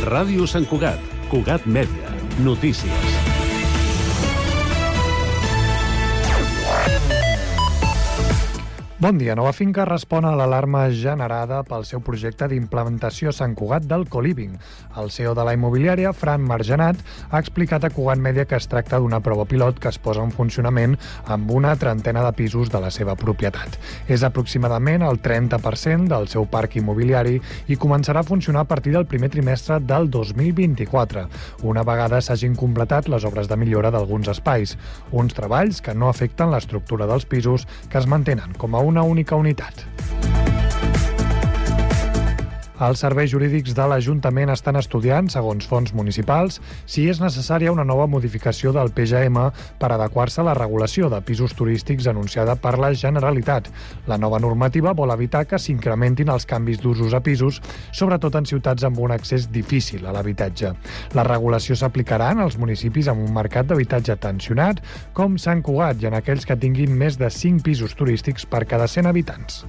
Ràdio Sant Cugat, Cugat Mèdia, notícies. Bon dia. Nova Finca respon a l'alarma generada pel seu projecte d'implementació a Sant Cugat del co-living. El CEO de la immobiliària, Fran Margenat, ha explicat a Cugat Mèdia que es tracta d'una prova pilot que es posa en funcionament amb una trentena de pisos de la seva propietat. És aproximadament el 30% del seu parc immobiliari i començarà a funcionar a partir del primer trimestre del 2024, una vegada s'hagin completat les obres de millora d'alguns espais, uns treballs que no afecten l'estructura dels pisos, que es mantenen com a una única unitat. Els serveis jurídics de l'Ajuntament estan estudiant, segons fonts municipals, si és necessària una nova modificació del PGM per adequar-se a la regulació de pisos turístics anunciada per la Generalitat. La nova normativa vol evitar que s'incrementin els canvis d'usos a pisos, sobretot en ciutats amb un accés difícil a l'habitatge. La regulació s'aplicarà en els municipis amb un mercat d'habitatge tensionat, com Sant Cugat, i en aquells que tinguin més de 5 pisos turístics per cada 100 habitants.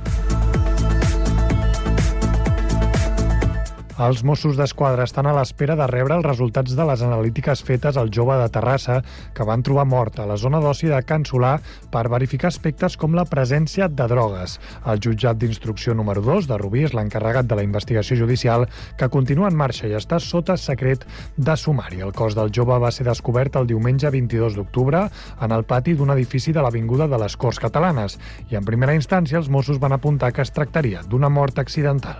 Els Mossos d'Esquadra estan a l'espera de rebre els resultats de les analítiques fetes al jove de Terrassa que van trobar mort a la zona d'oci de Can Solà per verificar aspectes com la presència de drogues. El jutjat d'instrucció número 2 de Rubí és l'encarregat de la investigació judicial, que continua en marxa i està sota secret de sumari. El cos del jove va ser descobert el diumenge 22 d'octubre en el pati d'un edifici de l'Avinguda de les Corts Catalanes i en primera instància els Mossos van apuntar que es tractaria d'una mort accidental.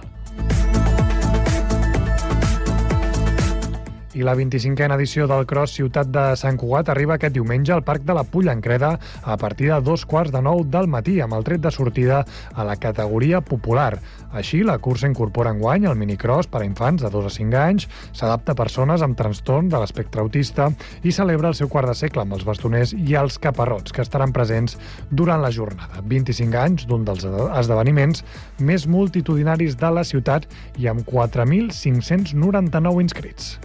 I la 25a edició del Cross Ciutat de Sant Cugat arriba aquest diumenge al Parc de la Pollancreda a partir de 2:15 del matí, amb el tret de sortida a la categoria popular. Així, la cursa incorpora enguany el minicross per a infants de 2 a 5 anys, s'adapta a persones amb trastorn de l'espectre autista i celebra el seu quart de segle amb els bastoners i els caparrots, que estaran presents durant la jornada. 25 anys d'un dels esdeveniments més multitudinaris de la ciutat i amb 4.599 inscrits.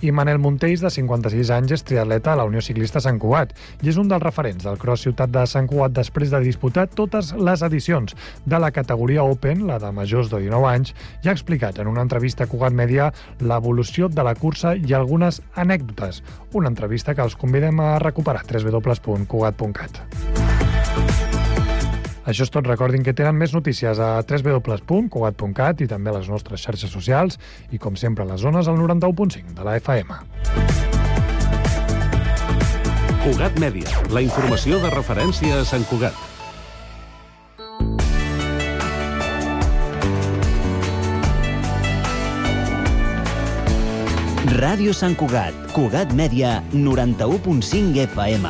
I Manel Montells, de 56 anys, és triatleta a la Unió Ciclista Sant Cugat i és un dels referents del Cross Ciutat de Sant Cugat després de disputar totes les edicions de la categoria Open, la de majors de 19 anys, i ha explicat en una entrevista a Cugat Mèdia l'evolució de la cursa i algunes anècdotes. Una entrevista que els convidem a recuperar a www.cugat.cat. Això és tot. Recordin que tenen més notícies a www.cugat.cat i també a les nostres xarxes socials i, com sempre, a les zones al 91.5 de la FM. Cugat Mèdia, la informació de referència a Sant Cugat. Ràdio Sant Cugat, Cugat Mèdia, 91.5 FM.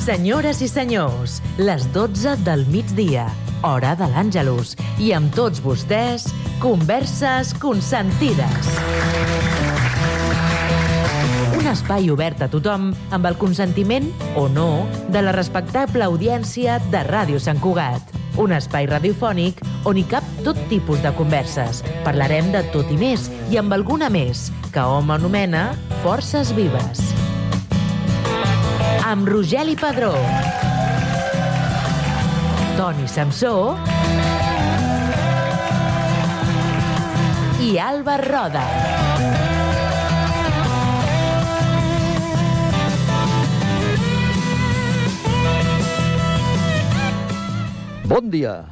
Senyores i senyors, les 12 del migdia, hora de l'Àngelus, i amb tots vostès, Converses Consentides. Un espai obert a tothom amb el consentiment, o no, de la respectable audiència de Ràdio Sant Cugat. Un espai radiofònic on hi cap tot tipus de converses. Parlarem de tot i més, i amb alguna més, que hom anomena Forces Vives. Amb Rogeli Padró, Toni Samsó i Alba Roda. Bon dia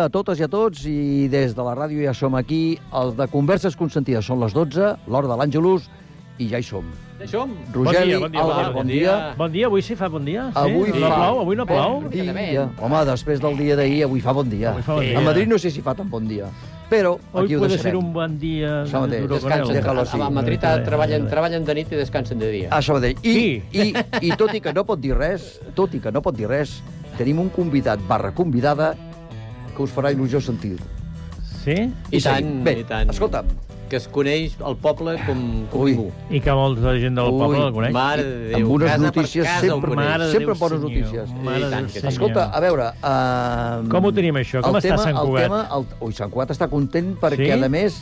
a totes i a tots, i des de la ràdio ja som aquí, els de Converses Consentides. Són les 12, l'hora de l'Àngelus, i ja hi som. Ja hi som. Rogeli, bon dia, Alba, bon dia. Bon dia, avui sí fa bon dia? Avui sí? fa... Avui no plou? Home, després del dia d'ahir, avui fa bon dia. A Madrid no sé si fa tan bon dia, però aquí ho deixarem. Hoy puede ser un bon dia. Això mateix, descansen. A Madrid treballen de nit i descansen de dia. Això mateix. I tot i que no pot dir res, tenim un convidat / convidada que us farà il·lusió sentir. Sí? I tant. Bé, escolta'm, que es coneix el poble com ningú. I que molta gent del poble el coneix. Mare de Déu, amb unes casa notícies per casa sempre, ho coneix. sempre bones notícies. Mare de Déu, senyor. Escolta, a veure... Com ho tenim, això? Com està Sant Cugat? Sant Cugat està content perquè, Sí? a més,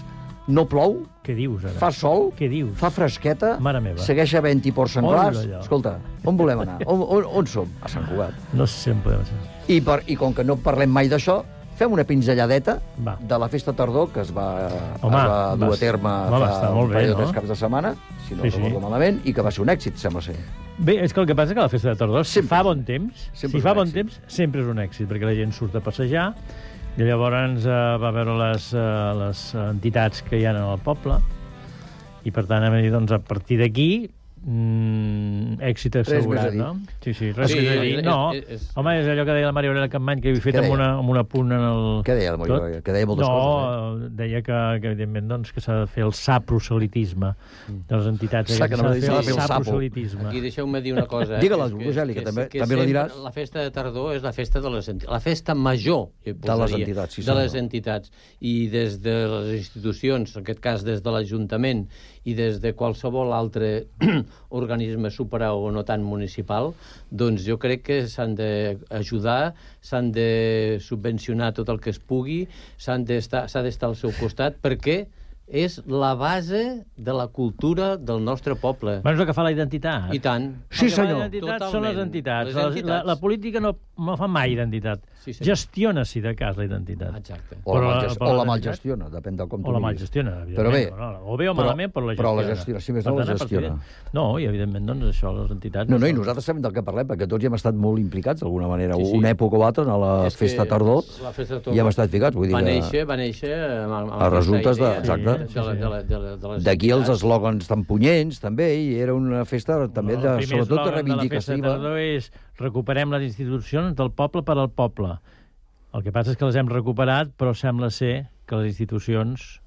no plou, Què dius, ara? fa sol, Què dius? fa fresqueta, Mare meva. segueix havent-hi ports senglars. Hola, allò. Escolta, on volem anar? On som? A Sant Cugat. No sé si en podem ser. I com que no parlem mai d'això, fem una pinzelladeta Va. de la festa tardor que es va Home, dur a terme home, fa està molt un bé, parell o no? 3 caps de setmana, si no Sí, sí. recordo malament, i que va ser un èxit, sembla ser. Bé, és que el que passa és que la festa de tardor, si Sempre fa és bon temps, sempre si és fa un bon èxit. temps, sempre és un èxit, perquè la gent surt a passejar, i llavors va veure les entitats que hi ha en el poble, i per tant, doncs, a partir d'aquí, èxit assegurat, més a dir. no? Sí, res Sí, més a dir. No, home, és allò que deia la Maria Aurelia Capmany, que havia fet Què amb deia? un apunt en el... Què deia la Maria tot. Aurelia? Que deia moltes coses, Deia que evidentment, doncs, que s'ha de fer el saproselitisme de les entitats. Saps que no S'ha m'ha dit de fer s'ha el de fer el sapo. saproselitisme. Aquí deixeu-me dir una cosa. Digue-la, Roseli, que també la sempre diràs. La festa de tardor és la festa de la festa major, jo De les posaria, entitats, sí, de les senyor. entitats. I des de les institucions, en aquest cas des de l'Ajuntament i des de qualsevol altre organisme superior o no tan municipal, doncs jo crec que s'han d'ajudar, s'han de subvencionar tot el que es pugui, s'ha d'estar al seu costat, perquè és la base de la cultura del nostre poble. Bueno, és el que fa la identitat. I tant. Sí, El que fa senyor. la identitat Totalment. són les entitats. Les entitats. La política no fa mai identitat. Sí, senyor. Gestiona, si de cas, la identitat. Exacte. O la Però malgestiona, depèn de com tu O la diguis. malgestiona, Però bé, evidentment. O bé o malament, però la però gestiona. la gestiona, si més Per no, la tant, a partir gestiona. No, i evidentment, doncs, això, les entitats... No, i són- nosaltres sabem del que parlem, perquè tots hi hem estat molt implicats, d'alguna manera, Sí, sí. una època o altra, a la És que festa tardor, la festa de tardor hi hem estat ficats. Vull dir va que néixer amb a resultes de- aquesta idea exacte. de les d'aquí els entitats. eslògans tan punyents, també, i era una festa també, El primer sobretot, de eslògan de la festa de reivindicativa. tardor és recuperem les institucions del poble per al poble. El que passa és que les hem recuperat, però sembla ser que les institucions...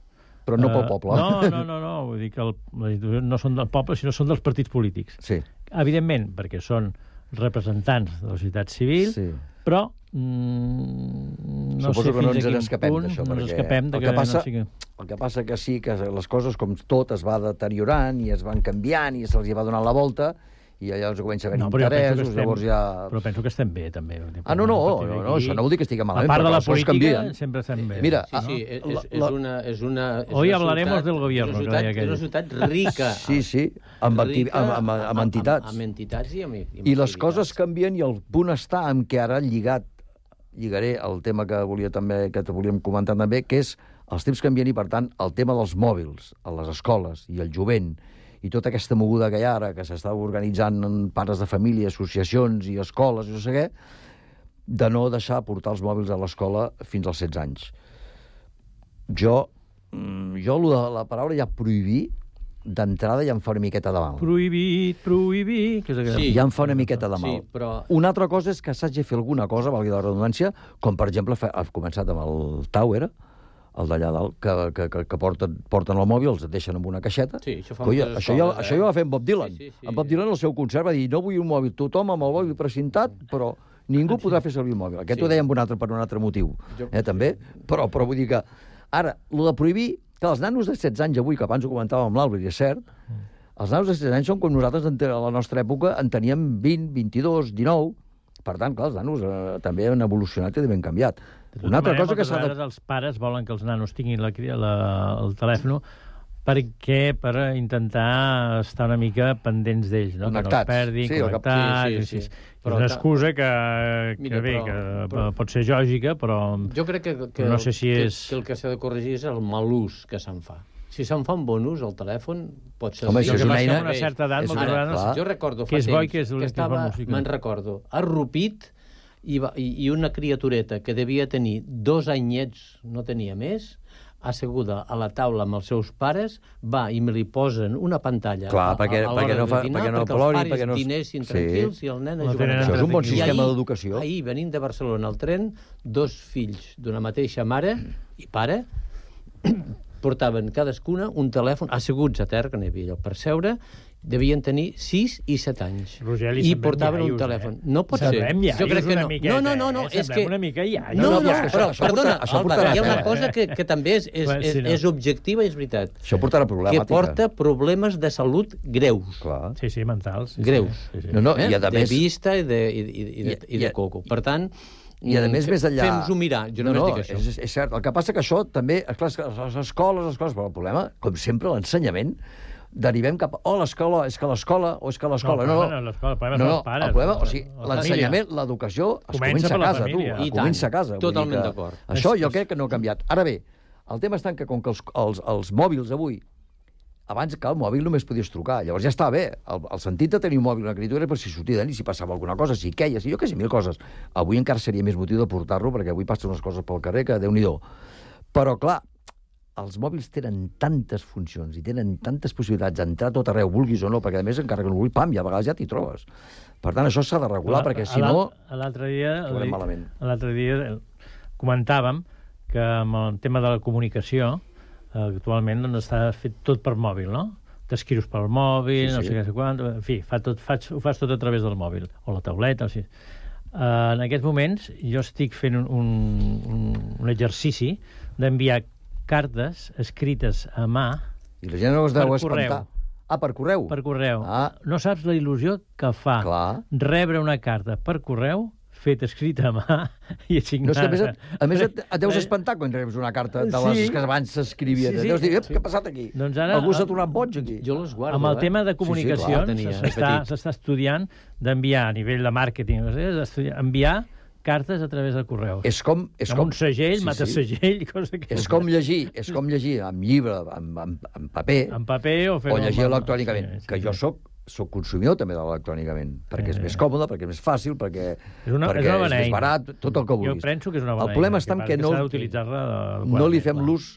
Però no pel poble. No, vull dir que les institucions no són del poble, sinó són dels partits polítics. Sí, Evidentment, perquè són representants de la societat civil, sí. però no Suposo sé que no fins ens a quin n'escapem punt d'això, no ens perquè escapem de el que passa- no sigui... El que passa que sí, que les coses, com tot, es va deteriorant i es van canviant i se'ls hi va donant la volta i llavors comença a haver però jo penso que interessos, llavors ja... Però penso que estem bé, també. Ah, no, això no vol dir que estigui malament, A part de perquè la les coses política, canvien. sempre estem bé. Mira, Sí, és una Hoy una hablaremos ciutat- del gobierno, és que deia una aquell. ciutat rica. Sí, amb entitats. Amb entitats i amb I les activitats. coses canvien i el punt està en què ara lligaré el tema que volíem comentar també, que és els temps canvien i, per tant, el tema dels mòbils a les escoles i el jovent i tota aquesta moguda que hi ha ara, que s'està organitzant en pares de família, associacions i escoles, i no sé què, de no deixar portar els mòbils a l'escola fins als 16 anys. Jo la paraula ja prohibir, d'entrada ja em fa una miqueta de mal. Prohibit, que és aquella... Sí. Ja em fa una miqueta de mal. Sí, però- Una altra cosa és que s'hagi de fer alguna cosa, valgui la redundància, com per exemple ha començat amb el Tower, el d'allà dalt, que porten el mòbil, els deixen amb una caixeta. Sí, això fa Colla, moltes això ja escoles, ho va fer en Bob Dylan. Sí. En Bob Dylan, al seu concert, va dir no vull un mòbil, tothom amb el mòbil precintat, però ningú podrà fer servir el mòbil. Aquest ho deia per un altre motiu, també. Però vull dir que ara, el de prohibir, que els nanos de 16 anys avui, que abans ho comentàvem amb l'Àlvar, i és cert, els nanos de 16 anys són com nosaltres a la nostra època en teníem 20, 22, 19... Per tant, clar, els nanos també han evolucionat i ben canviat. Una altra cosa que s'ha de... Els pares volen que els nanos tinguin el telèfon per intentar estar una mica pendents d'ells, no? Connectats. Que no els perdin, Sí, connectats... sí. És Però una excusa que Mira, bé, però- que pot ser lògica, però... Jo crec que no sé si és... que el que s'ha de corregir és el mal ús que se'n fa. Si se'n fa un bon ús, el telèfon pot ser... Home, això és una eina- Amb una certa edat, és moltes una- vegades... clar. Jo recordo Que fa és bo i temps que és dolent, que és bona música. me'n recordo, arrupit i una criatureta que devia tenir 2 anyets, no tenia més, asseguda a la taula amb els seus pares, va i me li posen una pantalla Clar, perquè l'hora no de dinar, perquè no perquè plori, els pares perquè no... dinessin Sí. tranquils i el nen a No jugar. tenen Això és un bon I sistema d'educació. Ahir, venint de Barcelona al tren, 2 fills d'una mateixa mare i pare portaven cadascuna un telèfon, asseguts a terra, que no hi havia lloc per seure, devien tenir 6 i 7 anys. Rogeli, I semblem portaven un iaios, telèfon. No pot ser. Semblem iaios Jo crec que una no. miqueta, No, és semblem que... una mica iaios. No, però però, perdona, això Álvaro, portarà hi ha una a cosa que també és objectiva i és veritat. Això portarà problemàtica. Que porta problemes de salut greus. Clar. Sí, mentals. Greus. Sí. No, i a De més... vista i de coco. Per tant, I a més enllà... fem-nos-ho mirar. Jo només dic això. És cert. El que passa que això també... Esclar, les escoles... Però el problema, com sempre, l'ensenyament, derivem cap a... l'escola, és que l'escola, o és que l'escola... No, l'escola, el problema són els pares. el problema, o sigui, la l'ensenyament, l'educació, es comença a per la casa, família. tu. Comença a casa. Totalment d'acord. Això jo crec que no ha canviat. Ara bé, el tema està que com que els mòbils avui, abans que el mòbil només podies trucar, llavors ja està bé. El sentit de tenir un mòbil, una criatura, per si sortia d'ell, si passava alguna cosa, si queies, jo què sé, 1000 coses. Avui encara seria més motiu de portar-lo, perquè avui passen unes coses pel carrer que Déu-n'hi-do. Però, clar, els mòbils tenen tantes funcions i tenen tantes possibilitats d'entrar a tot arreu, vulguis o no, perquè a més encara que no vulguis, pam, i a vegades ja t'hi trobes. Per tant, això s'ha de regular, perquè si no... L'altre dia... malament. L'altre dia comentàvem que amb el tema de la comunicació actualment doncs, està fet tot per mòbil, no? T'escrius pel mòbil, no sé què, quant... En fi, ho fas tot a través del mòbil, o la tauleta, o sigui... En aquests moments jo estic fent un exercici d'enviar cartes escrites a mà I la gent no es deu per espantar. Per correu? Per correu. No saps la il·lusió que fa rebre una carta per correu feta escrita a mà i assignada. No, és que a més et deus espantar quan reps una carta de les que abans s'escrivien. Deus dir, què ha passat aquí? Doncs ara, algú s'ha tornat boig aquí. Jo les guardo, amb el tema de comunicacions s'està estudiant d'enviar a nivell de màrqueting, enviar cartes a través del correu. Amb un segell, matasegell, cosa que... És com llegir amb llibre, amb paper, o llegir electrònicament, que jo soc consumidor també de l'electrònicament, perquè és més còmode, perquè és més fàcil, perquè és més barat, tot el que vulguis. Jo penso que és una bona eina. El problema està en que no li fem l'ús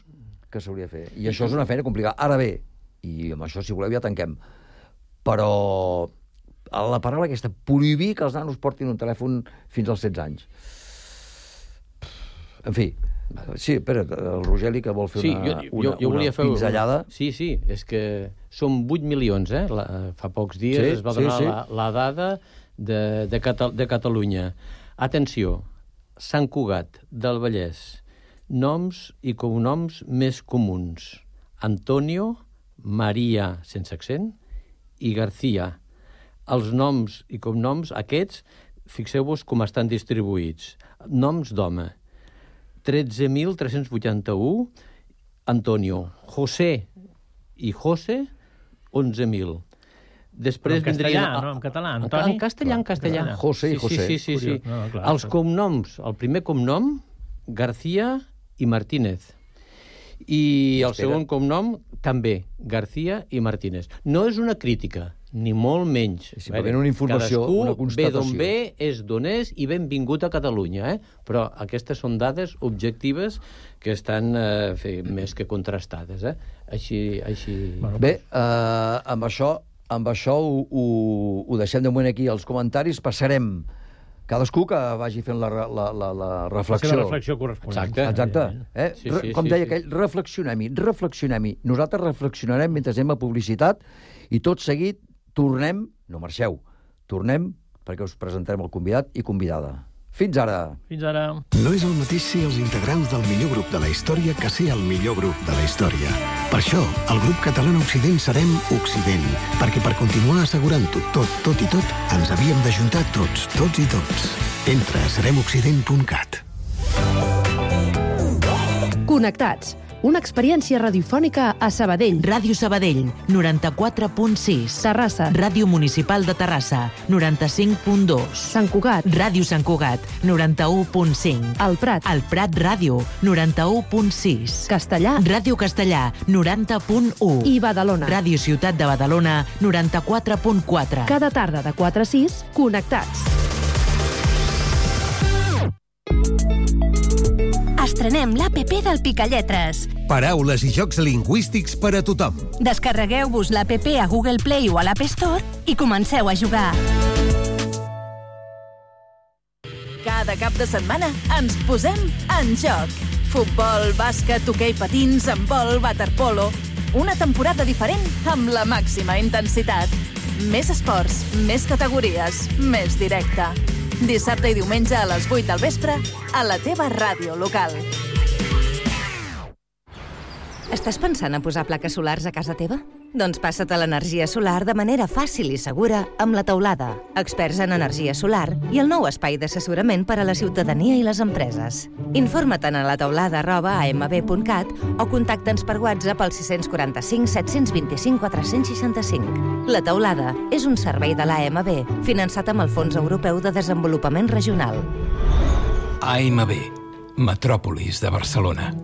que s'hauria de fer. I això és una feina complicada. Ara bé, i amb això, si voleu, ja tanquem, però la paraula aquesta, prohibir que els nanos portin un telèfon fins als 16 anys. En fi, sí, espera, el Rogeli que vol fer una pinzellada. Sí, és que són 8 milions, fa pocs dies es va donar la dada de Catalunya. Atenció, Sant Cugat del Vallès, noms i cognoms més comuns. Antonio, Maria, sense accent, i García. Els noms i cognoms aquests, fixeu-vos com estan distribuïts. Noms d'home. 13.381, Antonio. José i José, 11.000. Després vindrien... En català, Antoni? En castellà. José i José. Sí. Els cognoms, el primer cognom, García i Martínez. I el segon cognom, també, García i Martínez. No és una crítica, ni molt menys. Simplement una informació, una constatació. Ve d'on ve, és d'on és, i benvingut a Catalunya, Però aquestes són dades objectives que estan més que contrastades, Així... Bé, amb això ho deixem de moment aquí als comentaris. Passarem cadascú que vagi fent la reflexió. La reflexió corresponent. Exacte. Com deia aquell, reflexionem-hi. Nosaltres reflexionarem mentre anem a publicitat i tot seguit tornem, no marxeu, tornem perquè us presentarem el convidat i convidada. Fins ara! Fins ara! No és el mateix ser els integrants del millor grup de la història que ser el millor grup de la història. Per això, el grup català Occident serem Occident, perquè per continuar assegurant-ho tot i tot, ens havíem d'ajuntar tots i tots. Entra a seremoccident.cat. Connectats. Una experiència radiofònica a Sabadell. Ràdio Sabadell, 94.6. Terrassa. Ràdio Municipal de Terrassa, 95.2. Sant Cugat. Ràdio Sant Cugat, 91.5. El Prat. El Prat Ràdio, 91.6. Castellà. Ràdio Castellà, 90.1. I Badalona. Ràdio Ciutat de Badalona, 94.4. Cada tarda de 4 a 6, connectats. Estrenem l'APP del Picalletres. Paraules i jocs lingüístics per a tothom. Descarregueu-vos l'APP a Google Play o a l'App Store i comenceu a jugar. Cada cap de setmana ens posem en joc. Futbol, bàsquet, hoquei patins, handbol, waterpolo. Una temporada diferent amb la màxima intensitat. Més esports, més categories, més directe. Dissabte i diumenge a les 8 del vespre a la teva ràdio local. Estàs pensant a posar plaques solars a casa teva? Doncs passa't a l'energia solar de manera fàcil i segura amb La Teulada, experts en energia solar i el nou espai d'assessorament per a la ciutadania i les empreses. Informa't a lateuladA@amb.cat o contacta'ns per WhatsApp al 645 725 465. La Teulada és un servei de l'AMB finançat amb el Fons Europeu de Desenvolupament Regional. AMB, Metròpolis de Barcelona.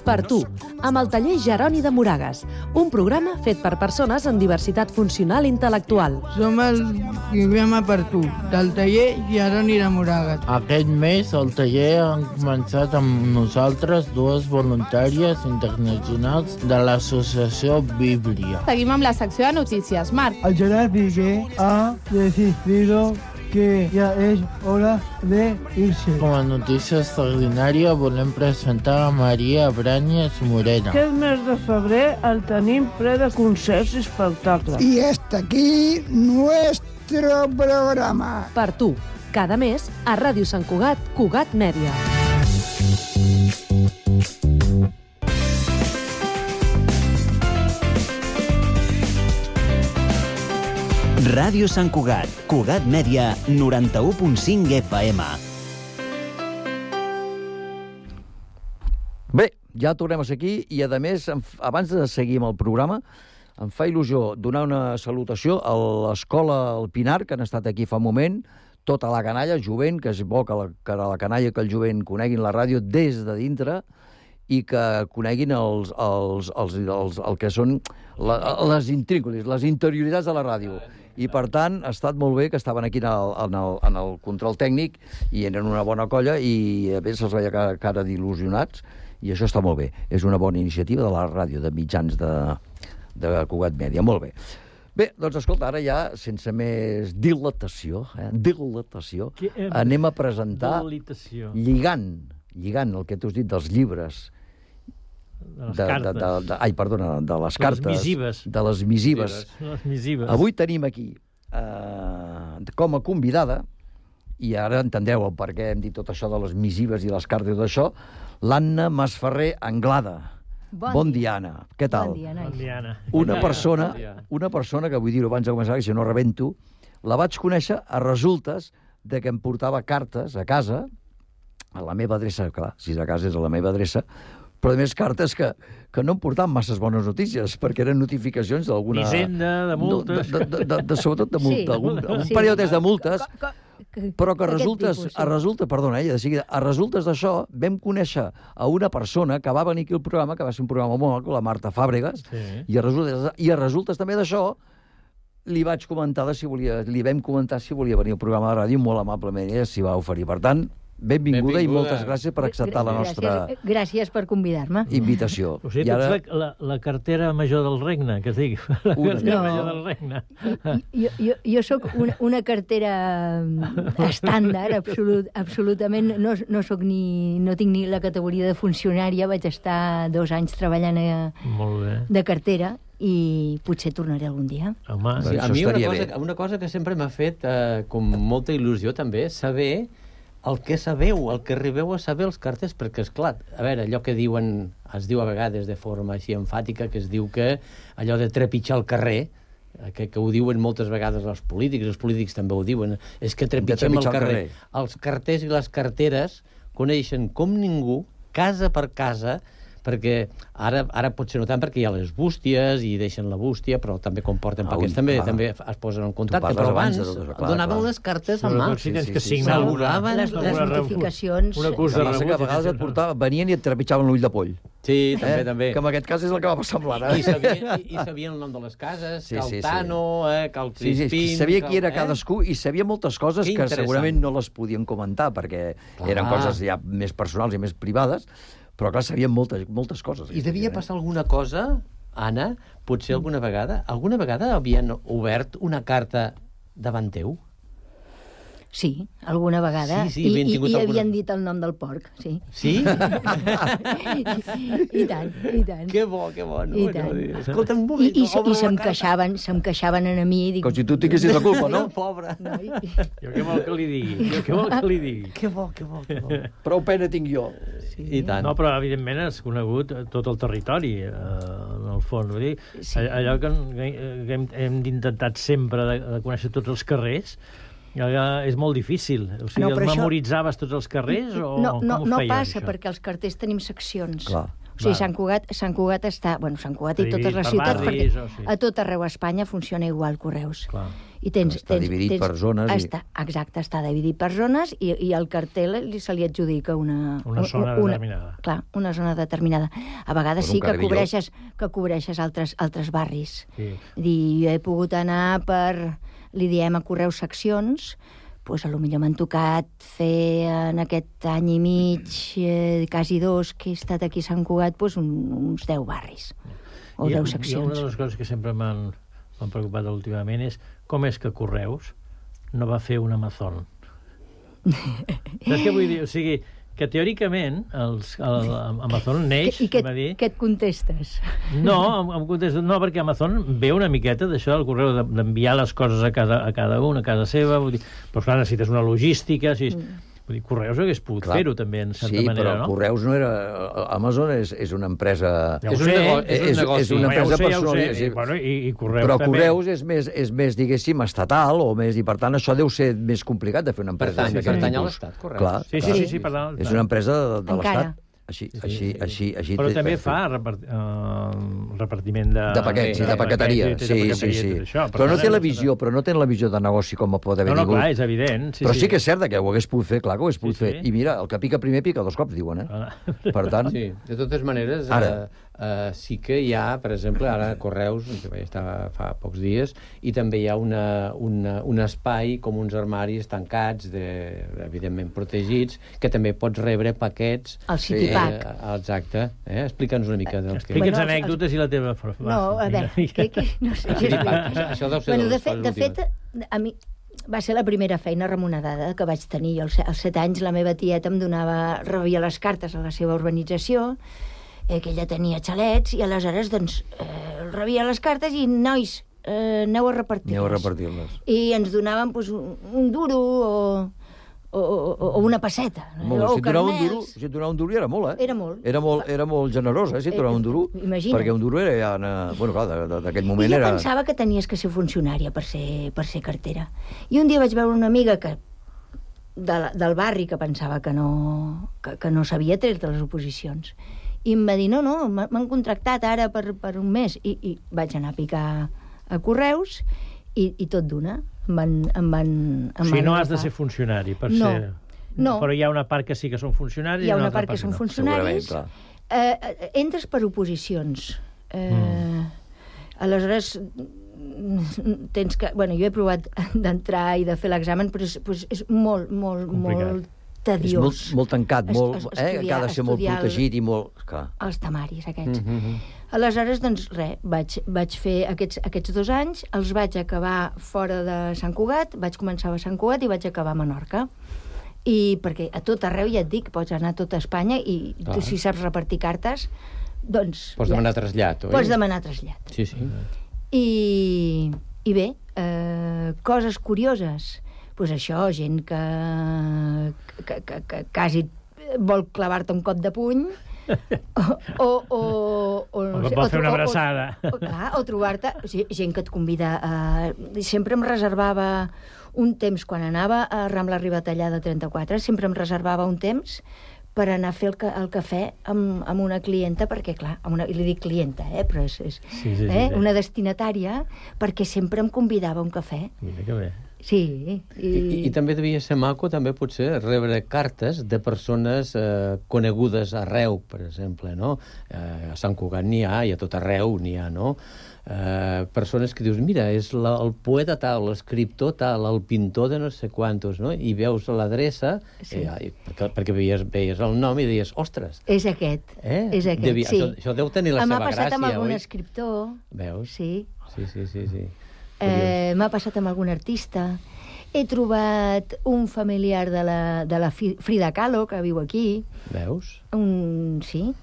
Per tu, amb el taller Jeroni de Moragas, un programa fet per persones amb diversitat funcional i intel·lectual. Som el programa Per tu, del taller Jeroni de Moragas. Aquest mes el taller han començat amb nosaltres dues voluntàries internacionals de l'associació Bíblia. Seguim amb la secció de notícies. Marc. El Gerard Piqué ha decidido que ja és hora de irse. Com a notícia extraordinària volem presentar a Maria Bràñez Morena. Aquest mes de febrer el tenim ple de concerts i espectacles. Y hasta aquí nuestro programa. Per tu, cada mes a Ràdio Sant Cugat, Cugat Mèdia. Ràdio Sant Cugat, Cugat Mèdia, 91.5 FM. Bé, ja tornem a ser aquí i, a més, abans de seguir amb el programa, em fa il·lusió donar una salutació a l'Escola El Pinar, que han estat aquí fa un moment, tota la canalla, jovent, que és bo que la canalla, que el jovent coneguin la ràdio des de dintre i que coneguin el que són les intrínculis, les interioritats de la ràdio. I, per tant, ha estat molt bé que estaven aquí en el control tècnic i eren una bona colla i a més se'ls veia cara d'il·lusionats i això està molt bé. És una bona iniciativa de la ràdio, de mitjans de Cugat Mèdia. Molt bé. Bé, doncs escolta, ara ja, sense més dilatació, anem a presentar, lligant el que tu has dit dels llibres, de les cartes, de les missives. Avui tenim aquí, com a convidada, i ara entendreu el per què hem dit tot això de les missives i les cartes i tot això, l'Anna Masferrer Anglada. Bon dia, Anna. Què tal? Bon dia, Anna. Una persona que, vull dir-ho abans de començar, que si no rebento, la vaig conèixer a resultes de que em portava cartes a casa, a la meva adreça, clar, si és a casa és a la meva adreça, però a més cartes que no em portaven masses bones notícies, perquè eren notificacions d'alguna... Hisenda, de multes... Sobretot de multes, algun període de multes, però que a resultes d'això vam conèixer a una persona que va venir aquí al programa, que va ser un programa molt maco, la Marta Fàbregas, i a resultes també d'això li vam comentar si volia venir al programa de ràdio, molt amablement ella s'hi va oferir. Per tant, benvinguda i moltes gràcies per acceptar la nostra... Gràcies per convidar-me. Invitació. O sigui, tu ets la cartera major del regne, que es digui. La cartera major del regne. Jo sóc una cartera estàndard, absolutament. No tinc ni la categoria de funcionària, vaig estar 2 anys treballant de cartera i potser tornaré algun dia. Home, sí, a mi una cosa que sempre m'ha fet com molta il·lusió també, saber el que sabeu, el que arribeu a saber els carters, perquè, esclar, a veure, allò que diuen, es diu a vegades de forma així enfàtica, que es diu que allò de trepitjar el carrer, que ho diuen moltes vegades els polítics també ho diuen, és que trepitgem el carrer. Els carters i les carteres coneixen com ningú, casa per casa, perquè ara potser no tant perquè hi ha les bústies i deixen la bústia, però també quan porten paquets també es posen en contacte, però abans donaven les cartes en mà. S'auguraven les notificacions. Una cosa que a vegades et portaven, venien i et trepitjaven l'ull de poll. Sí, també. Que en aquest cas és el que va passar amb l'Anna. I sabien el nom de les cases, que el Tano, que el Crispín... Sabia qui era cadascú i sabia moltes coses que segurament no les podien comentar perquè eren coses ja més personals i més privades, però clar, sabien moltes coses. I devia passar alguna cosa, Anna, potser alguna vegada? Alguna vegada havien obert una carta davant teu? Sí, alguna vegada. Sí, I alguna... havien dit el nom del porc, sí. Sí? I tant, i tant. Que bo, no? I tant. Escolta, un moment. I se'm queixaven a mi. Dic, com si tu tinguessis la culpa, no? Pobre. Jo què vol que li digui? Que bo. Prou pena tinc jo. Sí. I tant. No, però evidentment has conegut tot el territori, en el fons. Vull dir, allò que hem intentat sempre de conèixer tots els carrers, és molt difícil. O sigui, memoritzaves tots els carrers o com ho feies? No passa, perquè els carters tenim seccions. Clar. O sigui, Sant Cugat està... Bueno, Sant Cugat i totes les ciutats, perquè a tot arreu a Espanya funciona igual Correus. Clar. I està dividit per zones. Exacte, està dividit per zones i al cartel se li adjudica una zona determinada. Clar, una zona determinada. A vegades sí que cobreixes altres barris. Sí. Jo he pogut anar per... Li diem a Correus seccions, doncs potser m'han tocat fer en aquest any i mig, quasi 2, que he estat aquí a Sant Cugat, doncs uns 10 barris o 10 seccions. I una de les coses que sempre m'han preocupat últimament és com és que Correus no va fer un Amazon. Saps què vull dir? O sigui, que teòricament Amazon neix... I què et contestes? No, em contesto, no, perquè Amazon ve una miqueta d'això del correu, d'enviar les coses a cada un, a casa seva, vull dir, però clar, necessites una logística, vull dir, Correus hagués pogut fer-ho també, en certa manera, no? Sí, però Correus no era... Amazon és una empresa... És un negoci. És una empresa personal. I Correus però també. Correus és més, diguéssim, estatal, i per tant això deu ser més complicat de fer una empresa. Pertany a l'Estat, Correus. Sí, per tant. És una empresa de l'Estat. Així. Però també fa repartiment de paquets i de paqueteria. Sí. Però no té la visió de negoci com pot haver tingut. No, clar, és evident. Però sí que és cert que ho hagués pogut fer, clar que ho hagués pogut fer. I mira, el que pica primer pica 2 cops, diuen, Per tant... Sí, de totes maneres, sí que hi ha, per exemple, ara Correus, que vaig estar fa pocs dies, i també hi ha un espai com uns armaris tancats, evidentment protegits, que també pots rebre paquets... El Citypack. Exacte. Explica'ns una mica. Explica'ns anècdotes i la teva... No, a veure, no sé. Això deu ser de fet, a mi... Va ser la primera feina remunerada que vaig tenir. Als 7 anys la meva tieta em rebia les cartes a la seva urbanització, que ella tenia xalets, i aleshores doncs, rebia les cartes i, nois, aneu a repartir-les. I ens donaven un duro o una passeta. Si et donava un duro era molt, Era molt. Era molt generós, si et donava un duro. Imagina't. Perquè un duro era... Bueno, clar, d'aquell moment era... I jo pensava que tenies que ser funcionària per ser cartera. I un dia vaig veure una amiga del barri que pensava que no s'havia tret de les oposicions. I em va dir, no, m'han contractat ara per un mes. I vaig anar a picar a Correus i tot d'una. O sigui, no has de ser funcionari per ser... No. Però hi ha una part que sí que són funcionaris. Hi ha una part que són funcionaris. Entres per oposicions. Aleshores, tens que... Bueno, jo he provat d'entrar i de fer l'examen, però és molt tediós. És molt tancat, que ha de ser molt protegit i molt... Els temaris, aquests. Aleshores, doncs, vaig fer aquests 2 anys, els vaig acabar fora de Sant Cugat, vaig començar a Sant Cugat i vaig acabar a Menorca. I perquè a tot arreu, ja et dic, pots anar a tota Espanya i tu, si saps repartir cartes, doncs... Pots demanar trasllat, oi? Pots demanar trasllat. Sí. I bé, coses curioses. Doncs això, gent que quasi vol clavar-te un cop de puny vol fer una abraçada. O trobar-te gent que et convida sempre em reservava un temps, quan anava a Rambla Ribatallada 34, sempre em reservava un temps per anar a fer el cafè amb una clienta, perquè, clar, li dic clienta, però és una destinatària, perquè sempre em convidava a un cafè. Mira que bé. Sí. I també devia ser maco, també, potser, rebre cartes de persones conegudes arreu, per exemple, no? A Sant Cugat n'hi ha, i a tot arreu n'hi ha, no? Persones que dius, mira, és el poeta tal, l'escriptor tal, el pintor de no sé quantos, no? I veus l'adreça, perquè veies el nom i deies, ostres... És aquest, sí. Això deu tenir la seva gràcia, oi? M'ha passat amb algun escriptor. Veus? Sí. Sí. M'ha passat amb algun artista. He trobat un familiar de la Frida Kahlo, que viu aquí. Veus? Sí.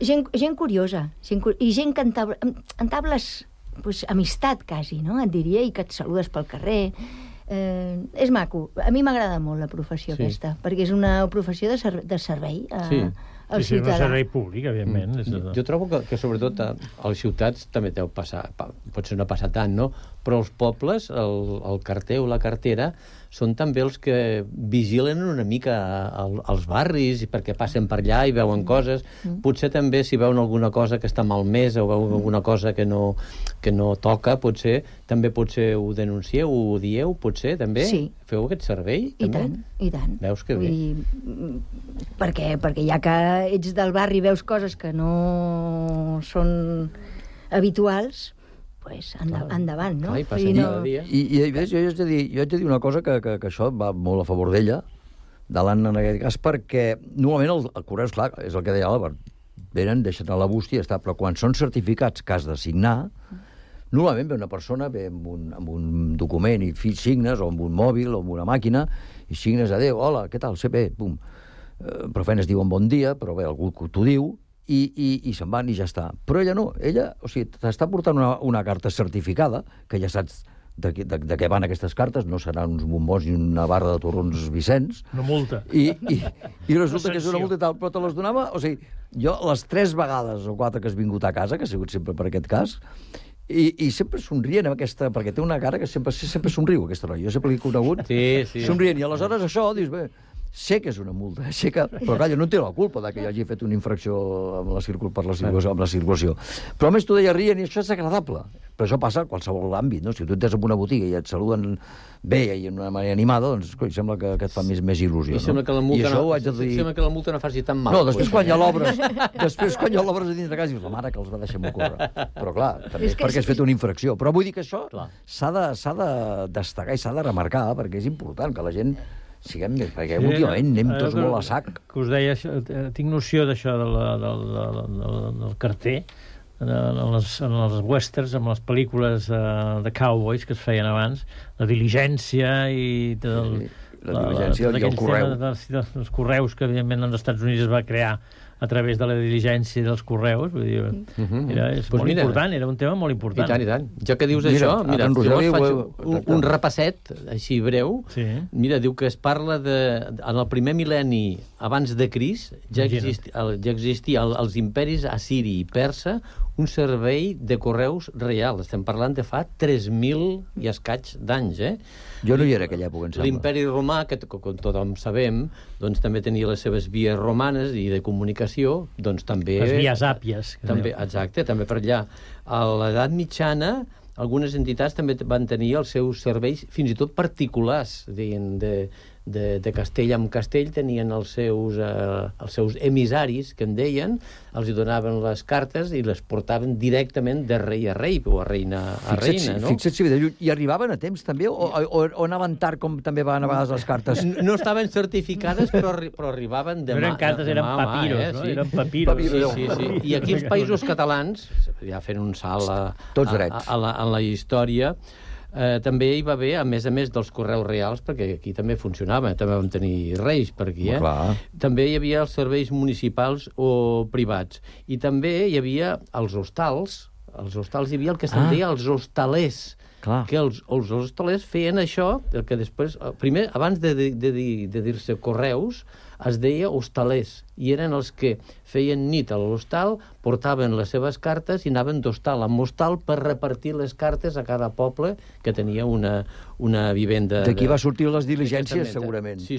Gent curiosa. I gent que entables amistat, quasi, no? Et diria, i que et saludes pel carrer. És maco. A mi m'agrada molt la professió aquesta, perquè és una professió de servei al ciutadà. És un servei públic, evidentment. Jo trobo que sobretot, a les ciutats també deu passar, potser no passa tant, no? Però els pobles, el carter o la cartera, són també els que vigilen una mica els barris, perquè passen per allà i veuen coses. Potser també, si veuen alguna cosa que està malmesa o veuen alguna cosa que no toca, potser ho denuncieu, ho dieu, potser també? Sí. Feu aquest servei? I tant, i tant. Veus que bé. Perquè ja que ets del barri i veus coses que no són habituals, pues endavant, no? I jo haig de dir una cosa que això va molt a favor d'ella, de l'Anna en aquest cas, perquè normalment el Correus, clar, és el que deia l'Àlvar, venen, deixen a la bústia i està, però quan són certificats que has de signar, normalment ve una persona, ve amb un document i signes, o amb un mòbil, o amb una màquina, i signes, adéu, hola, què tal, sé bé, pum. Però feines diuen bon dia, però bé, algú t'ho diu, i se'n van i ja està. Però ella no, o sigui, t'està portant una carta certificada, que ja saps de què van aquestes cartes, no seran uns bombons i una barra de torrons Vicenç. Una multa. I resulta que és una multa i tal, però te les donava, o sigui, jo les 3 vegades o 4 que has vingut a casa, que ha sigut sempre per aquest cas, i sempre somrient amb aquesta, perquè té una cara que sempre somriu, aquesta noia. Jo sempre l'he conegut somrient, i aleshores això, dius, bé, sé que és una multa, però calla, no té la culpa que jo hagi fet una infracció amb la circulació. Però a més tu deia rient i això és agradable. Però això passa a qualsevol àmbit, no? Si tu entres en una botiga i et saluden bé i d'una manera animada, doncs sembla que et fa més il·lusió. I sembla que la multa no faci tan mal. No, després quan ja l'obres a dins de casa dius, la mare que els va deixar córrer. Però clar, també és perquè has fet una infracció. Però vull dir que això s'ha de destacar i s'ha de remarcar, perquè és important que la gent siguem més, perquè últimament anem tots molt a sac. Que us deia, tinc noció d'això del carter, en els westerns, en les pel·lícules de cowboys que es feien abans, la diligència i la diligència i el correu. Els correus que, evidentment, als Estats Units es va crear a través de la diligència dels correus, vull dir, és molt important, era un tema molt important. I tant. Ja que dius això, mira, jo faig un repasset, així breu. Mira, diu que es parla en el primer mil·lenni abans de Crist, ja existia als imperis assiri i persa un servei de correus real. Estem parlant de fa 3.000 i escaig d'anys, Jo no hi era aquella època, em sembla. L'imperi romà, que com tothom sabem, doncs també tenia les seves vies romanes i de comunicació, doncs també... Les vies àpies. Exacte, també per allà. A l'edat mitjana, algunes entitats també van tenir els seus serveis, fins i tot particulars, de castell en castell, tenien els seus emissaris, que en deien, els hi donaven les cartes i les portaven directament de rei a rei, o a reina a reina, no? Fixa't si i arribaven a temps, també, o anaven tard, com també van a vegades les cartes? No estaven certificades, però arribaven de mà. No eren cartes, eren papiros, no? Eren papiros. Sí. I aquí els països catalans, ja fent un salt a la història, també hi va haver, a més dels correus reals, perquè aquí també funcionava, també vam tenir reis per aquí, també hi havia els serveis municipals o privats, i també hi havia els hostals hi havia el que se'n deia els hostalers, que els hostalers feien això, que després, primer, abans de dir-se correus, es deia hostalers, i eren els que feien nit a l'hostal, portaven les seves cartes i anaven d'hostal en hostal per repartir les cartes a cada poble que tenia una vivenda... D'aquí va sortir les diligències, segurament. Sí.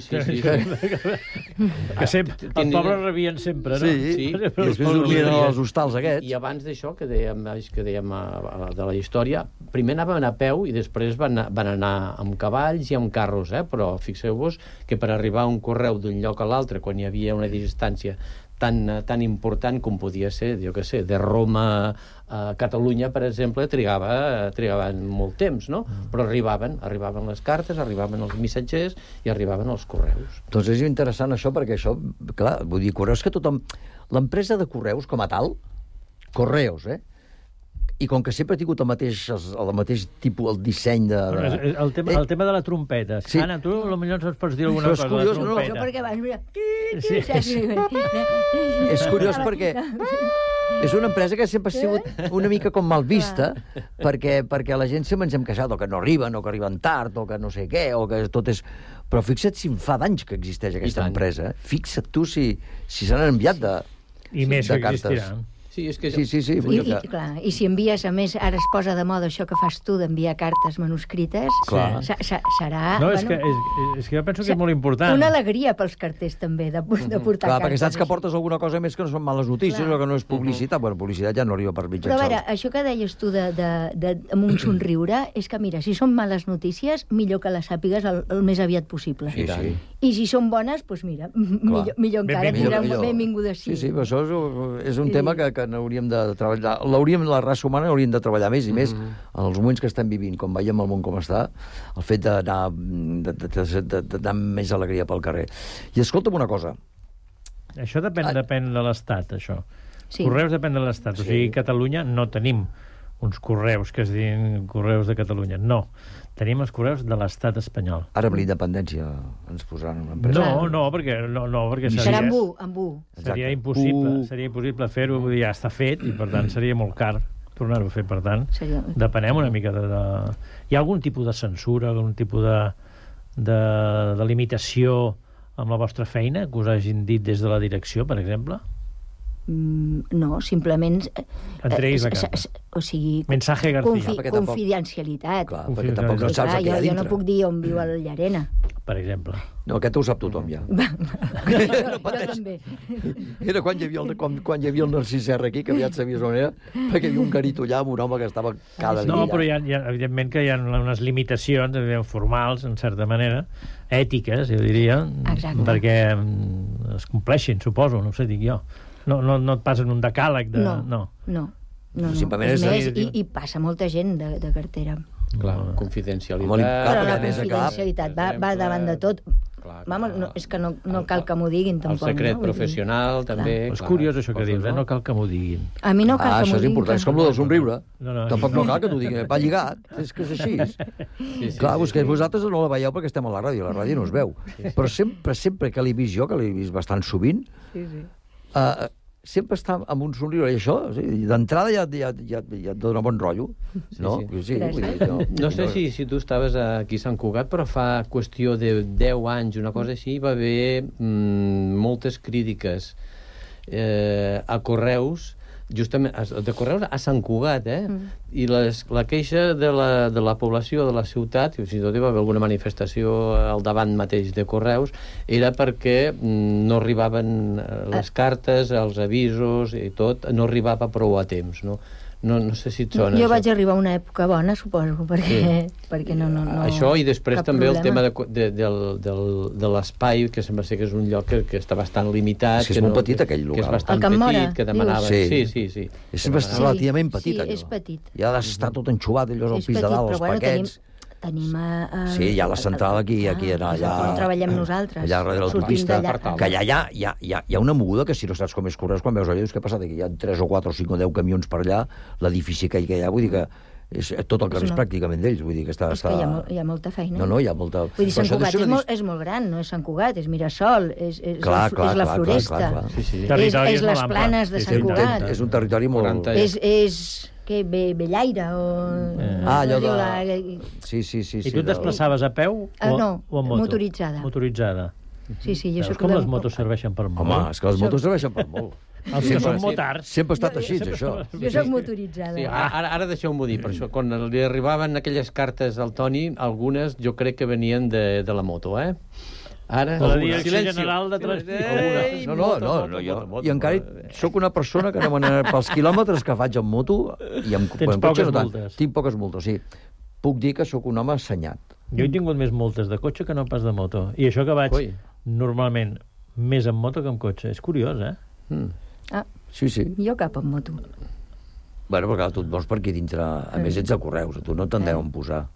Que sempre, els pobres rebien sempre, no? Sí, i després dormien als hostals aquests. I abans d'això, que dèiem de la història, primer anaven a peu i després van anar amb cavalls i amb carros, però fixeu-vos que per arribar a un correu d'un lloc a l'altre, quan hi havia una distància tan important com podia ser, jo què sé, de Roma a Catalunya, per exemple, trigaven molt temps, no? Però arribaven les cartes, arribaven els missatgers i arribaven els correus. Doncs és interessant això, perquè això, clar, vull dir, correus que tothom... L'empresa de correus, com a tal, Correos, I com que sempre ha tingut el mateix tipus, el disseny de... El tema de la trompeta. Sí. Anna, tu potser ens pots dir alguna cosa de la trompeta. Això perquè abans... Mira... És curiós perquè és una empresa que sempre ha sigut una mica com mal vista, perquè la gent sempre ens hem queixat o que no arriben, o que arriben tard, o que no sé què, o que tot és... Però fixa't si fa d'anys que existeix aquesta empresa. Fixa't tu si se n'han enviat de cartes. I més que existiran. Sí. I si envies, a més, ara es posa de moda això que fas tu, d'enviar cartes manuscrites, serà... No, és que jo penso que és molt important. Una alegria pels carters, també, de portar cartes. Clar, perquè saps que portes alguna cosa més que no són males notícies o que no és publicitat. Bueno, publicitat ja no arriba per mitjans. Però a veure, això que deies tu amb un somriure, és que, mira, si són males notícies, millor que les sàpigues el més aviat possible. Sí. I si són bones, doncs mira, millor encara, tindrà benvinguda sí. Sí, però això és un tema que n'hauríem de treballar. La raça humana hauríem de treballar més i més en els moments que estem vivint, com veiem el món com està, el fet d'anar amb més alegria pel carrer. I escolta'm una cosa. Això depèn de l'Estat, això. Correus depèn de l'Estat. O sigui, a Catalunya no tenim uns correus que es diuen correus de Catalunya. No. Tenim els correus de l'estat espanyol. Ara amb la independència ens posaran una empresa. No, perquè serà amb U. Seria impossible fer-ho, vull dir, ja està fet, i per tant seria molt car tornar-ho a fer, per tant. Depenem una mica de... Hi ha algun tipus de censura, algun tipus de limitació amb la vostra feina que us hagin dit des de la direcció, per exemple? No, simplement entreguis la carta. O sigui, mensaje García. Confidencialitat. Clar, perquè tampoc no saps què hi ha dintre. Jo no puc dir on viu el Llarena, per exemple. No, aquest ho sap tothom ja. Jo també. Era quan hi havia el Narcís Serra aquí, que aviat sabies on era, perquè hi havia un garito allà amb un home que estava cada dia. No, però evidentment que hi ha unes limitacions formals, en certa manera, ètiques, jo diria, perquè es compleixin, suposo, no ho sé, dic jo. No et passen un decàleg de... No. Simplement I passa molta gent de cartera. Clar, confidencialitat. Però la confidencialitat va davant de tot. Vamos, és que no cal que m'ho diguin, tampoc. El secret professional, també. És curiós això que dius, no cal que m'ho diguin. A mi no cal que m'ho diguin. Això és important, és com el del somriure. Tampoc no cal que t'ho diguin, va lligat, és que és així. Clar, vosaltres no la veieu perquè estem a la ràdio no es veu. Però sempre que l'he vist jo, que l'he vist bastant sovint, sempre està amb un somriure, i això, d'entrada ja et dona bon rotllo, no? No sé si tu estaves aquí a Sant Cugat, però fa qüestió de 10 anys, una cosa així, va haver moltes crítiques a Correus, justament de Correus a Sant Cugat, i la queixa de la població de la ciutat, i si tot hi va haver alguna manifestació al davant mateix de Correus, era perquè no arribaven les cartes, els avisos i tot, no arribava prou a temps, no? No sé si et sona. Jo vaig arribar a una època bona, suposo, perquè no... Això, i després també el tema de l'espai, que sembla ser que és un lloc que està bastant limitat. És molt petit, aquell local. Que és bastant petit, que demanava... Sí. És relativament petit, allò. És petit. Ja ha d'estar tot enxuvat, allò, al pis de dalt, els paquets... Tenim sí, hi ha la central aquí allà... On treballem nosaltres. Allà darrere l'autopista, que allà hi ha una moguda que si no saps com és Correus, quan veus allà, dius, què ha passat aquí? Hi ha 3 o 4 o 5 o 10 camions per allà, l'edifici que hi ha, vull dir que tot el carrer és pràcticament d'ells, vull dir que està... És que hi ha molta feina. No, hi ha molta... Vull dir, Sant Cugat és molt gran, no és Sant Cugat, és Mirasol, és la Floresta, és les planes de Sant Cugat. És un territori molt... Què, Bellaire o... allò de... Sí. I tu et desplaçaves a peu o en moto? Motoritzada. Sí, jo soc... Com les motos serveixen per molt? Home, és que les motos serveixen per molt. Els que són motards. Sempre ha estat així, això. Jo soc motoritzada. Ara deixeu-m'ho dir, per això, quan li arribaven aquelles cartes al Toni, algunes jo crec que venien de la moto, Ara, la Direcció General de Transport. No, jo encara sóc una persona que no m'anava pels quilòmetres que faig en moto i amb poques multes. Tinc poques multes, sí. Puc dir que sóc un home assenyat. Jo he tingut més multes de cotxe que no pas de moto. I això que vaig normalment més en moto que en cotxe. És curiós, Sí. Jo cap en moto. Bueno, perquè tu et vols per aquí dintre... A més, ets a Correus, tu no t'han deuen posar.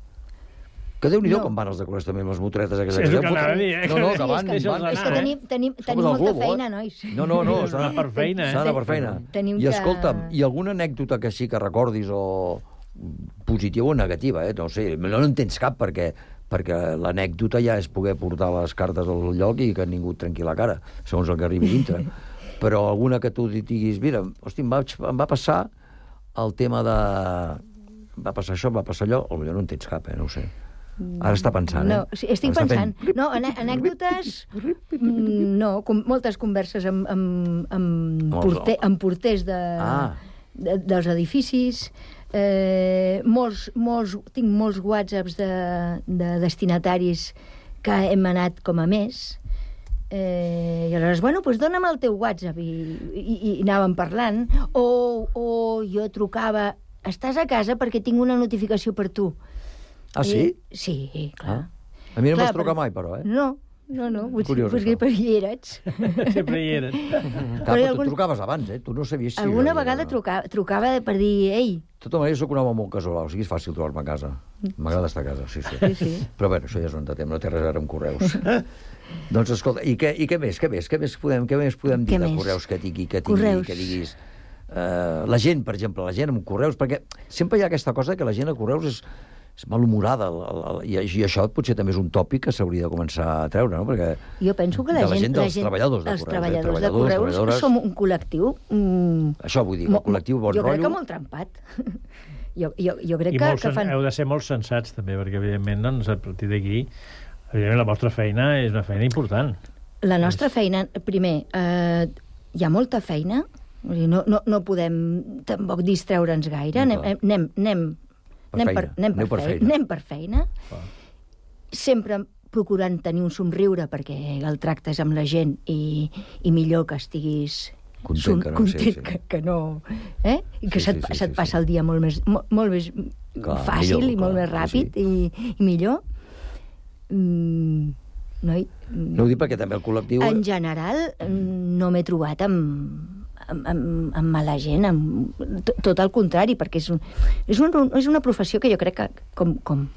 Que Déu-n'hi-do com van els decorats també, les motoretes aquestes. És el que anava a dir, No, que van. És que tenim molta feina, nois. No, s'ha d'anar per feina, S'ha d'anar per feina. I escolta'm, i alguna anècdota que sí que recordis o positiva o negativa, no sé, no en tens cap perquè l'anècdota ja és poder portar les cartes al lloc i que ningú et trenqui la cara, segons el que arribi dintre. Però alguna que tu diguis, mira, hosti, em va passar el tema de... va passar això, va passar allò, potser no en tens cap, no ho sé. Ara està pensant, No, sí, estic pensant. No, anècdotes... No, moltes converses amb porters dels edificis. Tinc molts whatsapps de destinataris que hem anat com a més. I aleshores, bueno, doncs dona'm el teu WhatsApp i anàvem parlant. O jo trucava, estàs a casa perquè tinc una notificació per tu. Ah, sí? Sí, clar. A mi no m'has trucat mai, però, No, potser per hi eres. Sempre hi eres. Però tu trucaves abans, Tu no sabies si... Alguna vegada trucava per dir, ei... De tota manera, soc un home molt casolà, o sigui, és fàcil trobar-me a casa. M'agrada estar a casa, sí. Però bé, això ja és un altre tema, no té res a veure amb correus. Doncs, escolta, i què més? Què més podem dir de correus que diguis... La gent, per exemple, la gent amb correus, perquè sempre hi ha aquesta cosa que la gent a correus és malhumorada, i això potser també és un tòpic que s'hauria de començar a treure, no? Perquè jo penso que la gent dels treballadors de correus. Els treballadors de correus som un col·lectiu... Això vull dir, un col·lectiu bon rotllo... Jo crec que molt trempat. Jo crec que fan... Heu de ser molt sensats, també, perquè, evidentment, doncs, a partir d'aquí, evidentment, la vostra feina és una feina important. La nostra feina, primer, hi ha molta feina, no podem tampoc distreure'ns gaire, anem per feina, sempre procurant tenir un somriure perquè el tractes amb la gent i millor que estiguis content que no... I que se't passa el dia molt més fàcil i molt més ràpid i millor. No ho dic perquè també el col·lectiu... En general, no m'he trobat amb mala gent, tot el contrari, perquè és una professió que jo crec que com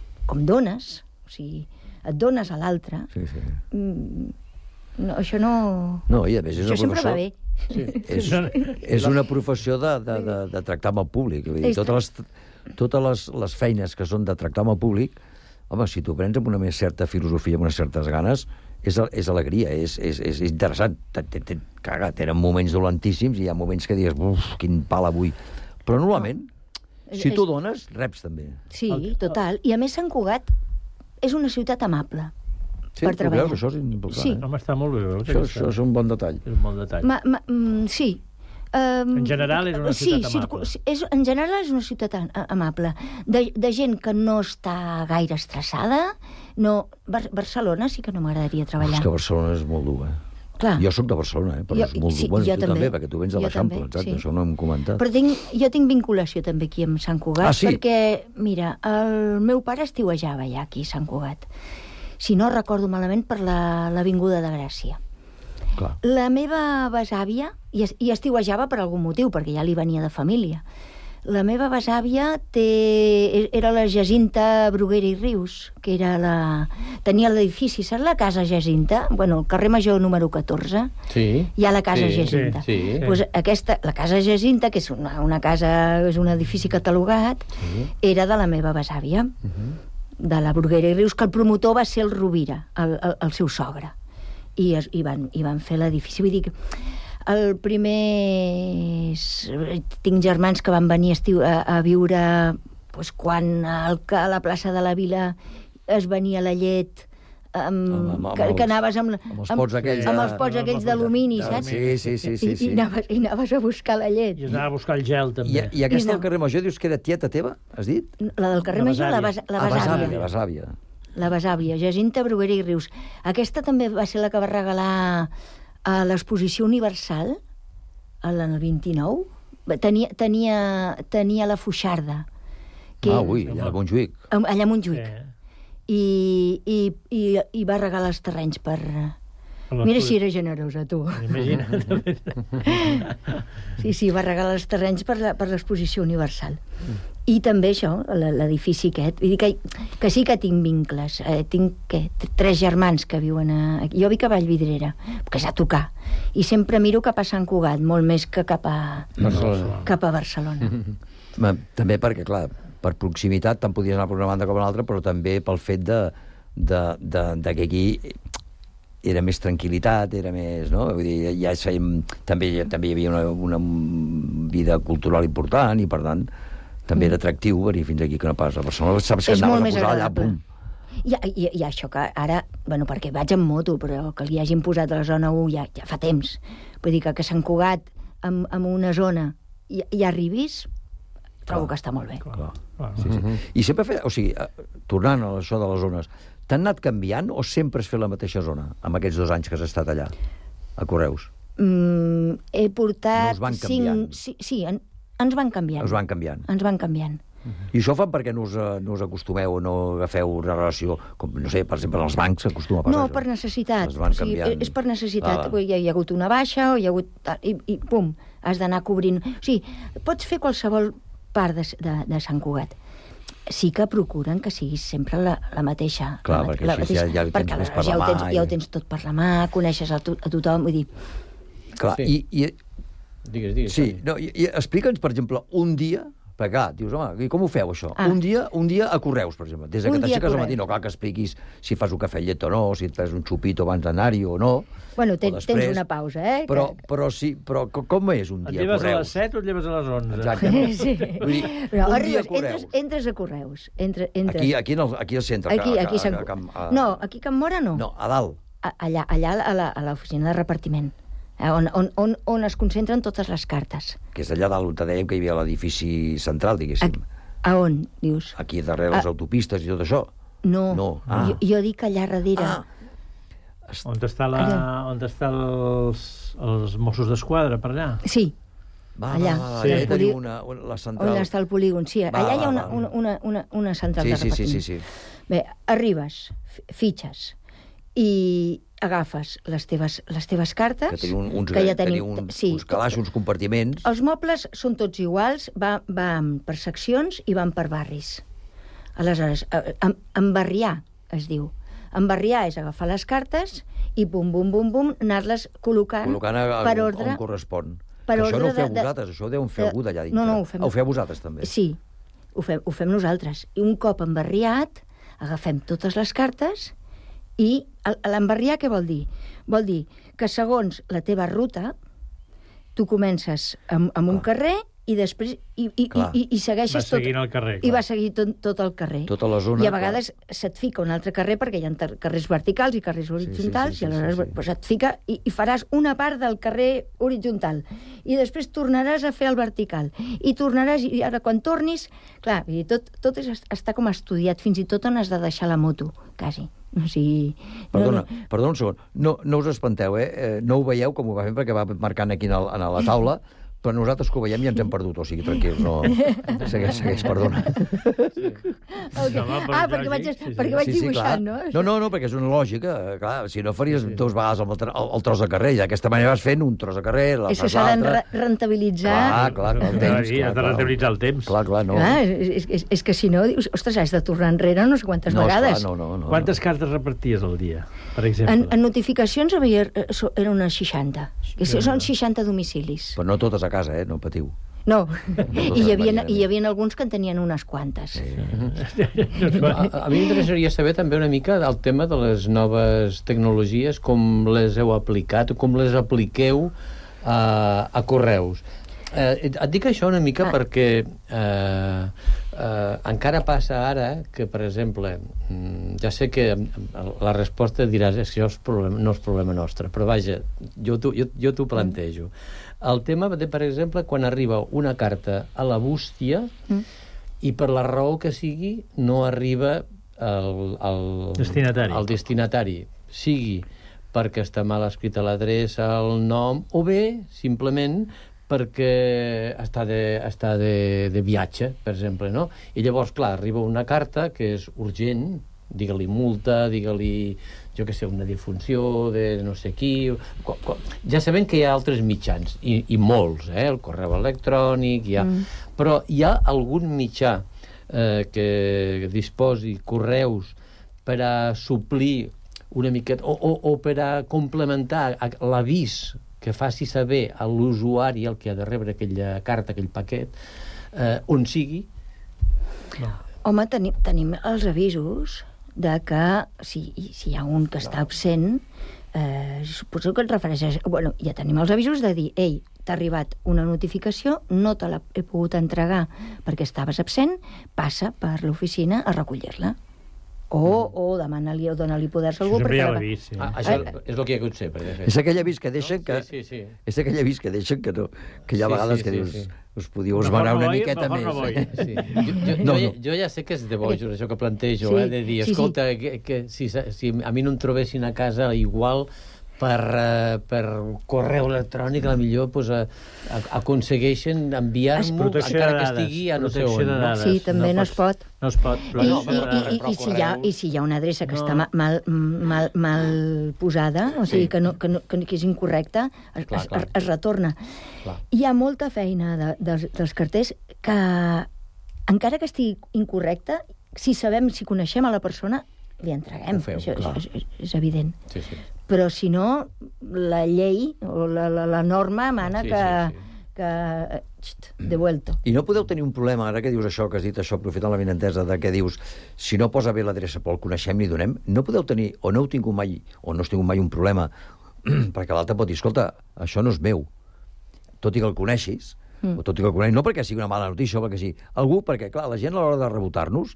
dones, o sigui, et dones a l'altre, això no... No, i a més és una professió... Això sempre va bé. És una professió de tractar amb el públic. Totes les feines que són de tractar amb el públic, home, si t'ho prens amb una més certa filosofia, amb unes certes ganes, és alegria, és interessant. Tenen moments dolentíssims i hi ha moments que digues, quin pal avui. Però normalment, si tu dones, reps també. Sí, total. I a més Sant Cugat és una ciutat amable per treballar. Veus, això és important. Sí. Home, està molt bé. Això és un bon detall. És un bon detall. Sí. En general és una ciutat amable. En general és una ciutat amable. De gent que no està gaire estressada. Barcelona sí que no m'agradaria treballar. És que Barcelona és molt dur, Clar. Jo sóc de Barcelona, però és molt dur. Bueno, tu també, perquè tu vens de l'Eixample, exacte, això no hem comentat. Però jo tinc vinculació també aquí amb Sant Cugat, perquè, mira, el meu pare estiuejava ja aquí a Sant Cugat. Si no recordo malament, per l'Avinguda de Gràcia. Clar. La meva besàvia, i estiuejava per algun motiu, perquè ja li venia de família, la meva besàvia era la Jacinta Bruguera i Rius, que tenia l'edifici, saps la casa Jacinta? Bueno, el carrer Major número 14, hi ha la casa Jacinta. Pues la casa Jacinta, que és una casa, és un edifici catalogat, era de la meva besàvia, de la Bruguera i Rius, que el promotor va ser el Rovira, el seu sogre. I van fer l'edifici. Vull dir que el primer... Tinc germans que van venir a viure quan a la plaça de la Vila es venia la llet, que anaves amb els pots aquells d'alumini, saps? Sí. I anaves a buscar la llet. I anava a buscar el gel, també. I aquesta del carrer Major, dius que era tieta teva, has dit? La del carrer Major, la besàvia. La besàvia, Jacinta Bruguera i Rius. Aquesta també va ser la que va regalar a l'Exposició Universal, el 29. Tenia la Foixarda. Allà a Montjuïc. Allà a Montjuïc. I va regalar els terrenys per... Mira si era generosa, tu. Imagina't. Sí, va regalar els terrenys per l'Exposició Universal. I també això, l'edifici aquest. Vull dir que sí que tinc vincles. Tinc 3 germans que viuen a... Jo vic a Vallvidrera, que és a tocar. I sempre miro cap a Sant Cugat, molt més que cap a Barcelona. També perquè, clar, per proximitat tant podies anar per una banda com a l'altra, però també pel fet de que aquí era més tranquil·litat, era més, no? Vull dir, ja també hi havia una vida cultural important i, per tant, també era atractiu venir fins aquí, que no pas a Barcelona. Saps que anaves a posar allà, pum. I això que ara, bueno, perquè vaig en moto, però que li hagin posat a la zona 1 ja fa temps. Vull dir que Sant Cugat, en una zona, hi arribis, trobo que està molt bé. I sempre tornant a això de les zones, t'han anat canviant o sempre has fet la mateixa zona, amb aquests 2 anys que has estat allà, a Correus? He portat... No us van canviant? Sí, ens van canviant. Us van canviant. Ens van canviant. I això ho fan perquè no us acostumeu o no agafeu una relació, com, no sé, per exemple, els bancs s'acostuma a passar. No, per necessitat. Es van canviant. És per necessitat. Hi ha hagut una baixa, o hi ha hagut... I pum, has d'anar cobrint... O sigui, pots fer qualsevol part de Sant Cugat. Sí que procuren que siguis sempre la mateixa. Clar, perquè així ja ho tens més per la mà. Ja ho tens tot per la mà, coneixes a tothom, vull dir... Clar, Digues. Sí, i explica'ns, per exemple, un dia, perquè clar, dius, home, com ho feu, això? Un dia a Correus, per exemple, des que t'aixeques al matí, no cal que expliquis si fas un cafè llet o no, si et fas un xupito abans d'anar-hi o no. Bueno, tens una pausa, eh? Però com és un dia a Correus? Et lleves a les 7 o et lleves a les 11? Exacte. Sí. Vull dir, un dia a Correus. Entres a Correus. Aquí al centre. No, aquí a Can Mora no. No, a dalt. Allà a l'oficina de repartiment. On es concentren totes les cartes. Que és allà dalt on te dèiem que hi havia l'edifici central, diguéssim. A on, dius? Aquí darrere les autopistes i tot això. No. Jo dic allà darrere. On estan els Mossos d'Esquadra, per allà? Sí. Allà. Tenim la central. On està el polígon, sí. Allà hi ha una central de repartiment. Sí. Bé, arribes, fitxes, i agafes les teves cartes... Que teniu uns calaixos, uns compartiments... Els mobles són tots iguals, van per seccions i van per barris. Aleshores, embarriar, es diu. Embarriar és agafar les cartes i bum, anar-les col·locant per ordre... on correspon. Això no ho feu vosaltres, això ho deuen fer algú d'allà dintre. No, ho fem... Ho feu vosaltres, també? Sí, ho fem nosaltres. I un cop embarriat, agafem totes les cartes... I l'embarriar què vol dir? Vol dir que segons la teva ruta, tu comences amb un carrer i després i segueixes tot... Va seguint el carrer. I va seguir tot el carrer. Tota la zona... I a vegades se't fica un altre carrer, perquè hi ha carrers verticals i carrers horitzontals, i aleshores et fica i faràs una part del carrer horitzontal. I després tornaràs a fer el vertical. I tornaràs... I ara, quan tornis... Clar, tot està com estudiat, fins i tot on has de deixar la moto, quasi. O sigui... Perdona un segon. No us espanteu, no ho veieu com ho va fer perquè va marcant aquí a la taula, però nosaltres que ho veiem ja ens hem perdut, o sigui, tranquil, no... Segueix, perdona. Perquè vaig dibuixant, no? No, perquè és una lògica, clar, si no faries 2 vegades el tros de carrer, i d'aquesta manera vas fent un tros de carrer, la fas l'altre... Això s'ha de rentabilitzar... Clar, el temps. Has de rentabilitzar el temps. Clar, no. És que si no, dius, ostres, has de tornar enrere no sé quantes vegades. No. Quantes cartes reparties al dia, per exemple? En notificacions era unes 60. Són 60 domicilis. Però no totes a casa, no patiu. No, i hi havia alguns que en tenien unes quantes. A mi m'interessaria saber també una mica el tema de les noves tecnologies, com les heu aplicat, com les apliqueu a Correus. Et dic això una mica perquè encara passa ara que, per exemple, ja sé que la resposta diràs és que això no és problema nostre, però vaja, jo t'ho plantejo. El tema de, per exemple, quan arriba una carta a la bústia i per la raó que sigui no arriba al destinatari, sigui perquè està mal escrita l'adreça, el nom, o bé, simplement, perquè està de viatge, per exemple, no? I llavors, clar, arriba una carta que és urgent, digue-li multa, digue-li, jo què sé, una defunció de no sé qui... Ja sabem que hi ha altres mitjans, i molts, el correu electrònic, però hi ha algun mitjà que disposi correus per a suplir una miqueta, o per a complementar l'avís que faci saber a l'usuari el que ha de rebre aquella carta, aquell paquet, on sigui. Home, tenim els avisos de que si hi ha un que està absent, suposo que et refereixes... Bueno, ja tenim els avisos de dir, ei, t'ha arribat una notificació, no te l'he pogut entregar perquè estaves absent, passa per l'oficina a recollir-la. O demana-li o dona-li poders a algú. Això sempre ja l'he vist, sí. Això és el que hi ha hagut sempre. És aquell avís que deixen que... És aquell avís que deixen que hi ha vegades que dius... Us podíeu esmenar una miqueta més. Jo ja sé que és de bojos, això que plantejo, de dir, escolta, que si a mi no em trobessin a casa igual... per correu electrònic, a la millor aconsegueixen enviar-m'ho encara que estigui a no sé on. Sí, també no es pot. No es pot. I si hi ha una adreça que està mal posada, o sigui, que és incorrecta, es retorna. Hi ha molta feina dels carters que, encara que estigui incorrecta, si coneixem a la persona, li entreguem. Això és evident. Però si no, la llei o la norma mana que devuelto. I no podeu tenir un problema, ara que dius això, que has dit això, aprofitant la benentesa, de què dius, si no posa bé l'adreça però el coneixem, li donem, no podeu tenir, o no heu tingut mai, o no has tingut mai un problema, perquè l'altre pot dir, escolta, això no és meu, tot i que el coneixis, o tot i que el coneix, no perquè sigui una mala notícia, o perquè sí, algú, perquè, clar, la gent a l'hora de rebotar-nos,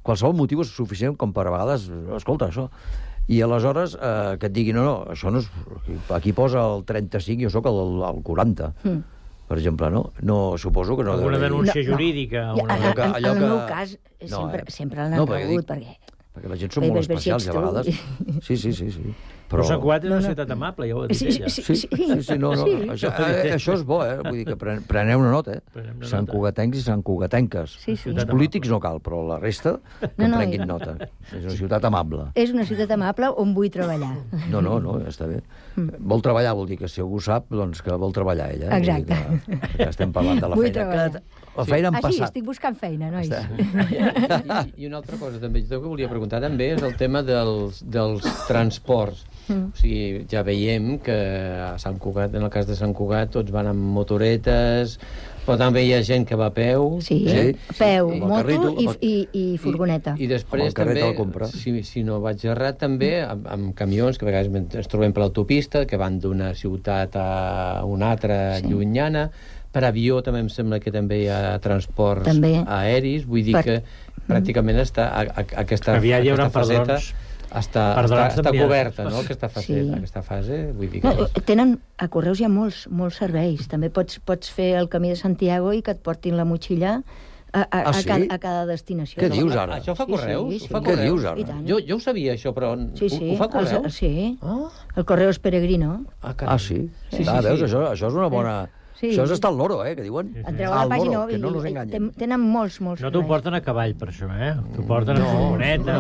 qualsevol motiu és suficient com per a vegades, escolta, això... I aleshores que et digui, no, això no és... Aquí posa el 35 i jo soc el 40, per exemple, no? No, suposo que no... Alguna denúncia jurídica. En el meu cas, sempre l'han rebut, perquè la gent són molt especials, a vegades. Sí. Però Sant Cugat és una ciutat amable, ja ho ha dit ella. Sí, no. Això és bo, Vull dir que preneu una nota, Sant Cugatencs i Sant Cugatenques. Els polítics no cal, però la resta que prenguin nota. És una ciutat amable. És una ciutat amable on vull treballar. No, està bé. Vol treballar, vol dir que si algú sap, doncs que vol treballar ella. Exacte. Que estem parlant de la feina. La feina en passat. Estic buscant feina, nois. I una altra cosa també, jo que volia preguntar també és el tema dels transports. O sigui, ja veiem que a Sant Cugat, en el cas de Sant Cugat, tots van amb motoretes, però també hi ha gent que va a peu. Sí, peu, moto i furgoneta. I després també, si no vaig errat, també amb camions, que a vegades ens trobem per l'autopista, que van d'una ciutat a una altra llunyana. Per avió també em sembla que també hi ha transports aeris, vull dir que pràcticament aquesta faceta està coberta, no?, aquesta fase. Vull dir que... Tenen, a Correus hi ha molts serveis. També pots fer el camí de Santiago i que et portin la motxilla a cada destinació. Què dius ara? Això fa Correus? Què dius ara? Jo ho sabia, això, però ho fa Correus? Sí, el Correus Peregrino. Sí? Veus, això és una bona... Això és estar al loro, que diuen. Entreu a la pàgina que no nos enganyen. Tenen molts No t'ho porten a cavall, per això, T'ho porten a furgoneta.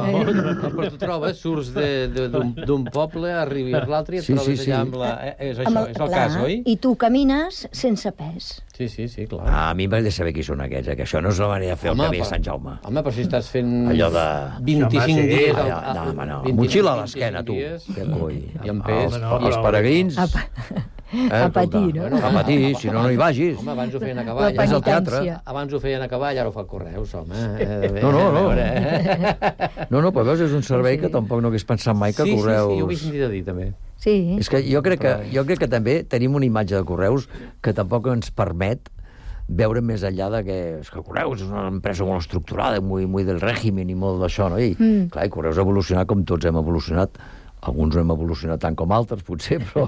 Però tu trobes, surts d'un poble, arribes a l'altre i et trobes allà amb la... És això, és el cas, oi? I tu camines sense pes. Sí, clar. A mi m'ha de saber qui són aquests, que això no és la manera de fer el camí a Sant Jaume. Home, però si estàs fent... Allò de... 25 dies... No, motxilla a l'esquena, tu. I amb pes. Els peregrins... A patir, no? A patir, si no hi vagis. Home, abans ho feien a cavall. És el teatre. Abans ho feien a cavall, ara ho fa Correus, home. No, però veus, és un servei que tampoc no hagués pensat mai que Correus... Sí, ho he sentit a dir, també. Sí. És que jo crec que també tenim una imatge de Correus que tampoc ens permet veure més enllà de que Correus és una empresa molt estructurada, muy del règim i molt d'això, no? I, clar, Correus ha evolucionat com tots hem evolucionat. Alguns no hem evolucionat tant com altres, potser, però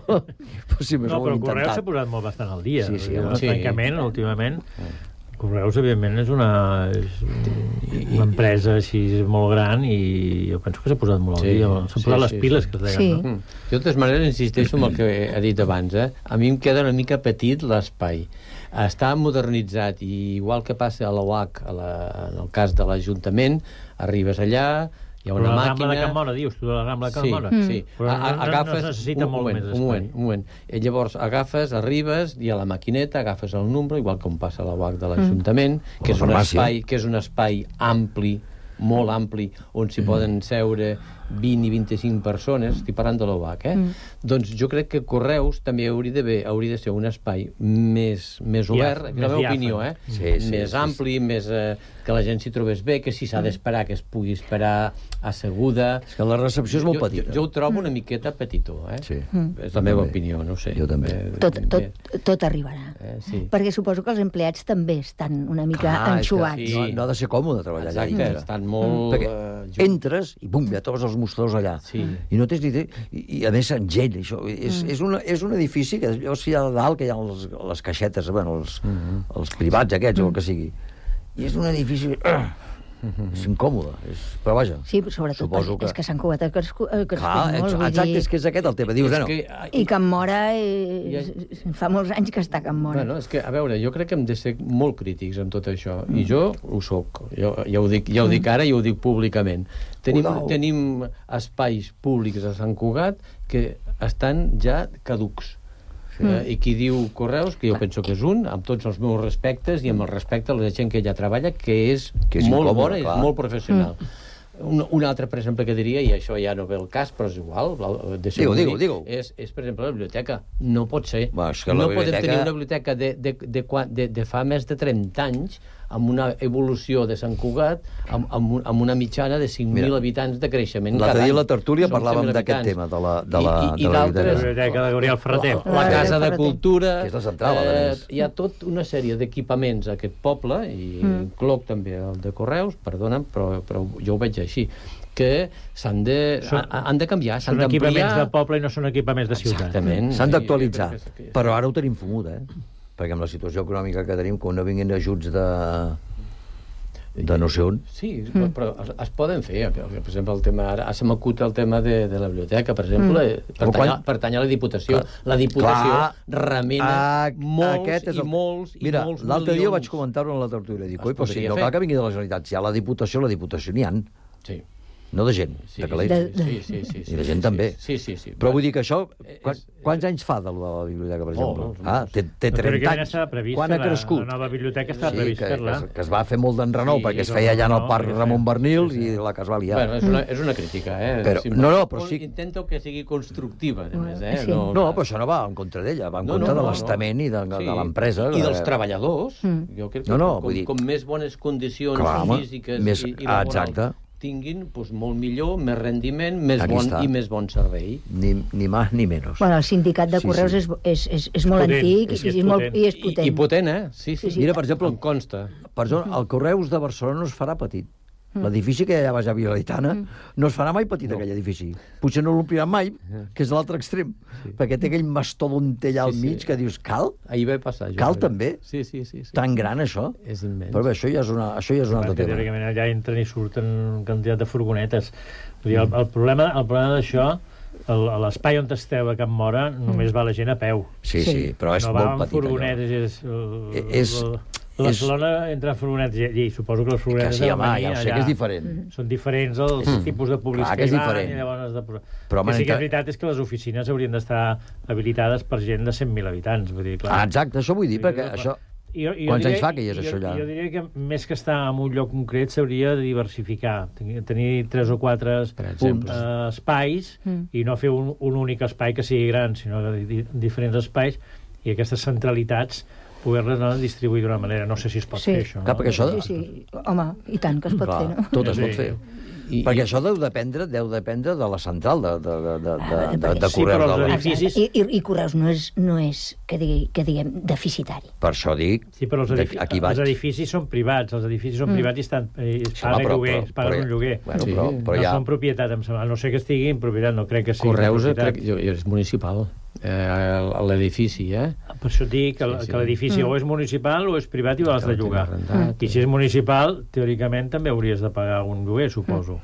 si més ho hem intentat. No, però Correus s'ha posat molt bastant al dia. Sí. Francament, últimament, Correus, evidentment, és una empresa així molt gran i jo penso que s'ha posat molt al dia. S'ha posat les piles, que es deien, no? Jo, de totes maneres, insisteixo en el que he dit abans. A mi em queda una mica petit l'espai. Està modernitzat i igual que passa a l'OAC, en el cas de l'Ajuntament, arribes allà, Hi ha una la màquina... Rambla de Can Mora, dius tu, de la Rambla de Can Mora? Sí. Però no es necessita molt més espai. Un moment. Llavors agafes, arribes, hi ha la maquineta, agafes el número, igual com passa a la UAC de l'Ajuntament, que és un espai ampli, molt ampli, on s'hi poden seure 20 i 25 persones, estic parlant de l'OVAC, Doncs jo crec que Correus també hauria de ser un espai més obert, és la meva opinió, més ampli, més que la gent s'hi trobés bé, que si s'ha d'esperar, que es pugui esperar asseguda. És que la recepció és molt petita. Jo ho trobo una miqueta petitó, És la meva opinió, no ho sé. Jo també. Tot arribarà. Perquè suposo que els empleats també estan una mica enxuats. No ha de ser còmode treballar allà. Exacte, estan molt... Perquè entres i bum, ja trobes els mostradors allà. I no tens ni idea. I a més amb gent, això. És un edifici que llavors hi ha a dalt, que hi ha les caixetes, els privats aquests o el que sigui. I és un edifici... És incòmode, però vaja. Sí, sobretot és que Sant Cugat ha crescut molt. Exacte, és que és aquest el tema. Dius, I Can Mora fa molts anys que està a Can Mora. Bueno, és que, a veure, jo crec que hem de ser molt crítics amb tot això, i jo ho soc. Ja ho dic ara i ho dic públicament. Tenim espais públics a Sant Cugat que estan ja caducs. I qui diu Correus, que jo penso que és amb tots els meus respectes i amb el respecte a la gent que allà treballa, que és molt bona i és molt professional. Un altre, per exemple, que diria, i això ja no ve el cas, però és igual, digue-ho. És, per exemple, la biblioteca. No pot ser. No podem tenir una biblioteca de fa més de 30 anys amb una evolució de Sant Cugat amb una mitjana de 5.000 habitants de creixement cada any. L'altre dia a la tertúlia parlàvem d'aquest tema, de la biblioteca de Gabriel Ferreter. La Casa de Cultura... Que és la central, a més. Hi ha tota una sèrie d'equipaments a aquest poble, i incloc també el de Correus, perdona'm, però jo ho veig així, que han de canviar, s'han d'ampliar... Són equipaments de poble i no són equipaments de ciutat. Exactament. S'han d'actualitzar, però ara ho tenim fumut, perquè amb la situació econòmica que tenim, quan no vinguin ajuts de no sé on... Sí, però es poden fer. Per exemple, ara se m'acut el tema de la biblioteca, per exemple, pertany a la Diputació. La Diputació remena molts i molts. Mira, l'altre dia vaig comentar-ho en la tertúlia. Dic, oi, però si no cal que vingui de la Generalitat. Si hi ha la Diputació n'hi ha. Sí. No de gent, de calés. I de gent també. Però vull dir que això... Quants anys fa de la biblioteca, per exemple? Té 30 anys. Quan ha crescut? La nova biblioteca estava previst fer-la. Que es va fer molt d'enrenou, perquè es feia allà en el Parc Ramon Bernils i la que es va liar. És una crítica, No, però sí... Intento que sigui constructiva, a més, No, però això no va en contra d'ella, va en contra de l'estament i de l'empresa. I dels treballadors. Jo crec que com més bones condicions físiques i laborals tinguin, molt millor, més rendiment, i més bon servei. Ni més ni menys. Bueno, el sindicat de Correus és molt antic i és potent. I potent, Sí. Mira, per exemple, em consta. El Correus de Barcelona no es farà petit. L'edifici que hi ha a Vilaitana no es farà mai petit, aquell edifici. Potser no l'ompliran mai, que és l'altre extrem, perquè té aquell mastodonte allà al mig que dius, cal? Ahir va passar. Cal també? Sí. Tan gran, això? És immens. Però bé, això ja és un altre tema. Teòricament allà entren i surten quantitat de furgonetes. El problema d'això, l'espai on esteu a Can Mora, només va la gent a peu. Sí, però és molt petit. No va amb furgonetes, Barcelona entra en furgonetes i suposo que les furgonetes ja ho sé que és diferent. Són diferents els tipus de publicitat. Clar que és diferent. Però el que sí que és veritat és que les oficines haurien d'estar habilitades per gent de 100.000 habitants. Exacte, això vull dir, perquè això... Quants anys fa que hi és això allà? Jo diria que més que estar en un lloc concret s'hauria de diversificar, tenir 3 o 4 espais i no fer un únic espai que sigui gran, sinó diferents espais i aquestes centralitats poder-les distribuir d'una manera. No sé si es pot fer, això. Clar, perquè això... Sí. Home, i tant que es pot fer, no? Tot es pot fer. Perquè això deu dependre de la central de Correus. Els edificis... I Correus no és que diguem, deficitari. Per això dic... Sí, però els edificis són privats. Els edificis són privats i es paguen un lloguer. No són propietat, a no ser que estigui en propietat, no crec que sigui Correus és municipal. L'edifici, Per això dic que l'edifici o és municipal o és privat i l'has de llogar. I si és municipal, teòricament també hauries de pagar un lloguer, suposo.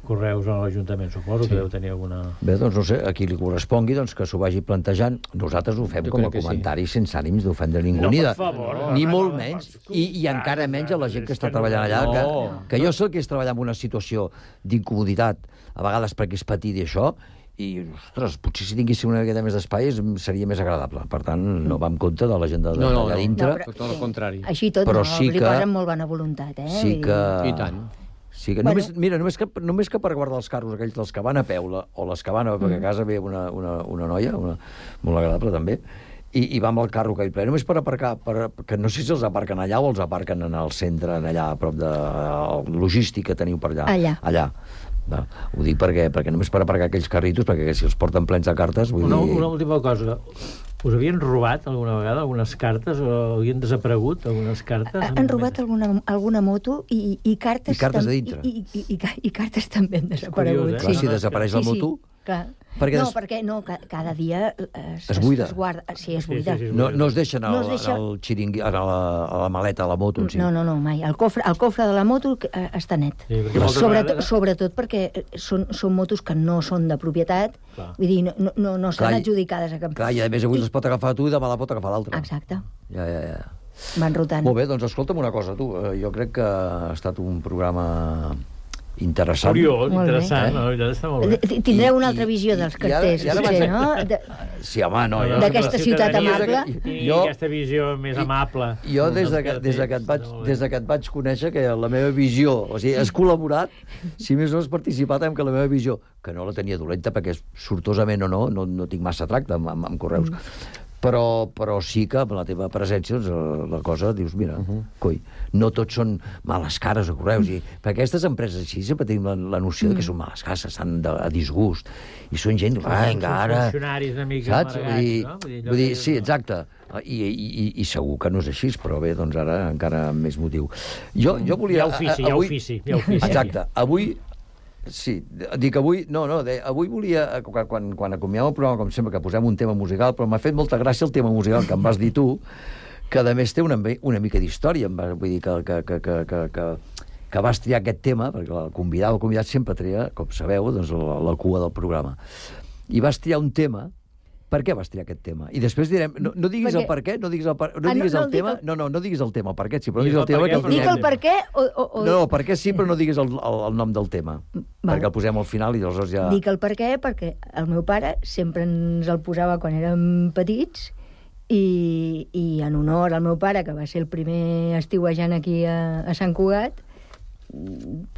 correus a l'Ajuntament, suposo que deu tenir alguna... Bé, doncs no sé, a qui li correspongui que s'ho vagi plantejant. Nosaltres ho fem com a comentari sense ànims d'ofendre ningú, ni molt menys, i encara menys a la gent que està treballant allà, que jo sé que és treballar en una situació d'incomoditat, a vegades perquè és petit i això, i, ostres, potser si tinguéssim una miqueta més d'espai seria més agradable. Per tant, no va en compte de la gent d'allà dintre. No, tot el contrari. Així tot, li posen molt bona voluntat, eh? Sí que... I tant. Sí que només que per guardar els carros aquells dels que van a peu o les que van a... perquè a casa ve una noia, molt agradable també, i va amb el carro aquell ple, només per aparcar, que no sé si els aparquen allà o els aparquen en el centre, allà a prop de logístic que teniu per allà. Allà. Ho dic perquè només per aparcar aquells carritos, perquè si els porten plens de cartes... Una última cosa. Us havien robat alguna vegada algunes cartes o havien desaparegut algunes cartes? Han robat alguna moto i cartes... I cartes de dintre. I cartes també han desaparegut. Curiós, si desapareix la moto... Clar. Perquè cada dia es buida. Sí, es buida. No es deixen al xiringui, a la maleta de la moto. No, mai. El cofre de la moto està net. Sobretot perquè són motos que no són de propietat, vull dir, no estan adjudicades a cap... Clar, i a més avui les pot agafar tu i demà la pot agafar l'altre. Exacte. Ja. Van rotant. Molt bé, doncs escolta'm una cosa, tu. Jo crec que ha estat un programa... interessant. Curiós, interessant, no? Està molt bé. Tindreu una altra visió dels carters, potser, no? Sí, home, no. D'aquesta ciutat amable. I aquesta visió més amable. Jo, des que et vaig conèixer, que la meva visió, o sigui, has col·laborat, si més no has participat en que la meva visió, que no la tenia dolenta, perquè sortosament o no tinc massa tracte amb correus, però sí que amb la teva presència la cosa, dius, mira, coi, no tots són males cares a correus, perquè aquestes empreses així sempre tenim la noció que són males cares, estan a disgust, i són gent, encara... Són funcionaris una mica amargats, no? Vull dir, sí, exacte, i segur que no és així, però bé, doncs ara encara amb més motiu. Jo volia... Hi ha ofici. Exacte, avui... Sí, dic avui... avui volia, quan acomiadem el programa, com sempre, que posem un tema musical, però m'ha fet molta gràcia el tema musical que em vas dir tu, que a més té una mica d'història, vull dir que vas triar aquest tema, perquè el convidat sempre tria, com sabeu, doncs, la cua del programa. I vas triar un tema. Per què vas triar aquest tema? I després direm... No diguis el per què, no diguis el tema... No diguis el tema, per què sí, però no diguis el tema... Dic el per què o... No, per què sí, però no diguis el nom del tema. Perquè el posem al final i aleshores ja... Dic el per què perquè el meu pare sempre ens el posava quan érem petits i en honor al meu pare, que va ser el primer estiuejant aquí a Sant Cugat,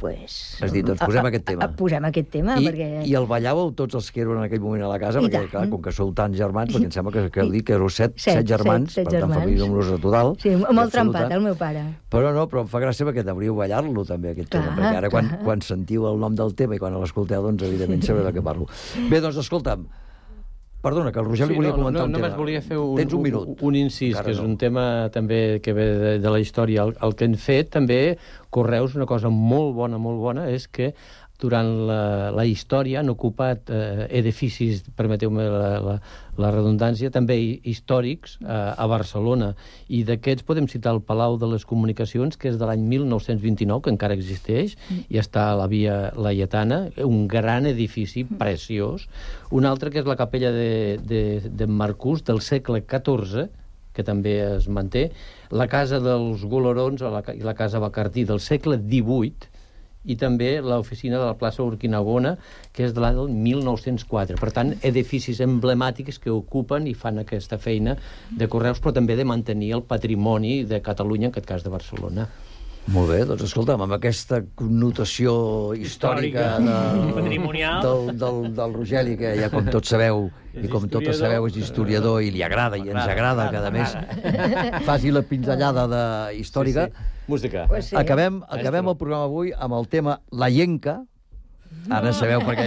pues... Has dit, doncs posem aquest tema. Posem aquest tema, perquè... I el ballàveu tots els que eren en aquell moment a la casa, perquè, clar, com que sou tants germans, perquè em sembla que heu dit que éreu set germans, per tant, família nombrosa total. Sí, molt trempat, el meu pare. Però em fa gràcia perquè devríeu ballar-lo, també, aquest tema, perquè ara, quan sentiu el nom del tema i quan l'escolteu, doncs, evidentment, sabreu de què parlo. Bé, doncs, escolta'm, perdona, que el Roger li volia comentar un tema. Només volia fer un incís, que és un tema també que ve de la història. El que han fet també Correus, una cosa molt bona, és que durant la història han ocupat edificis, permeteu-me la redundància, també històrics a Barcelona. I d'aquests podem citar el Palau de les Comunicacions, que és de l'any 1929, que encara existeix, i està a la Via Laietana, un gran edifici preciós. Un altre que és la capella de Marcús, del segle XIV, que també es manté, la Casa dels Golorons i la Casa Bacardí del segle XVIII, i també l'oficina de la plaça Urquinaona, que és de l'any del 1904. Per tant, edificis emblemàtics que ocupen i fan aquesta feina de Correus, però també de mantenir el patrimoni de Catalunya, en aquest cas de Barcelona. Molt bé, doncs escolta'm, amb aquesta connotació històrica del Rogeli, que ja com tots sabeu, i com totes sabeu és historiador i li agrada, i ens agrada que a més faci la pinzellada històrica. Música. Acabem el programa avui amb el tema La Llenca. Ara sabeu per què...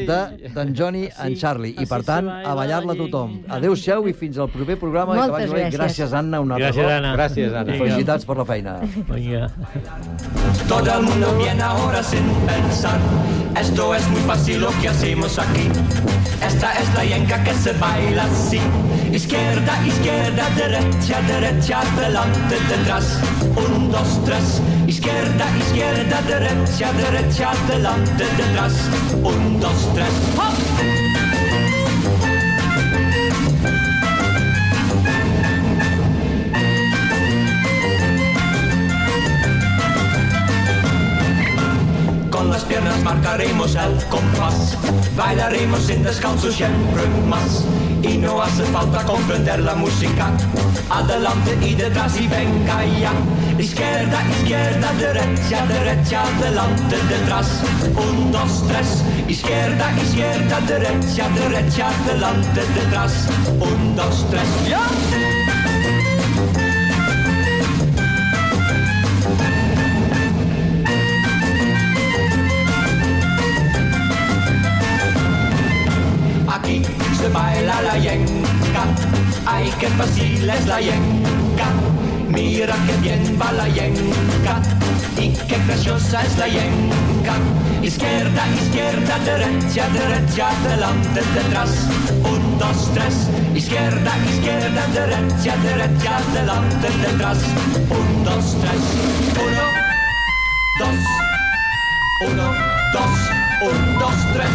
d'en Johnny en Charlie. I, per tant, a ballar-la tothom. Adéu-siau i fins al proper programa. Moltes gràcies. Gràcies, Anna. Gràcies, Anna. Gràcies, Anna. Felicitats per la feina. Vinga. Todo el mundo viene ahora sin pensar. Esto es muy fácil lo que hacemos aquí. Esta es la yenca que se baila así. Izquierda, izquierda, derecha, derecha, adelante, detrás. 1, 2, 3. Izquierda, izquierda, derecha, derecha, adelante, detrás. 1, 2, 3. ¡Hop! Con las piernas marcaremos el compás, bailaremos sin descanso siempre más. Y no hace falta comprender la música, adelante y detrás y venga ya. Izquierda, izquierda, derecha, derecha, adelante, detrás. 1, 2, 3. Izquierda, izquierda, derecha, derecha, adelante, detrás. 1, 2, 3. ¡Ya! Aquí se baila la yenca, ay qué fácil es la yenca, mira qué bien va la yenca, y qué graciosa es la yenca. Izquierda, izquierda, derecha, derecha, adelante, detrás. 1, 2, 3. Izquierda, izquierda, derecha, derecha, adelante, detrás. 1, 2, 3. 1, 2, 1, 2, 1, 2, 3.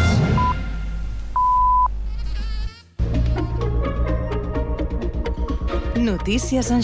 Notícies en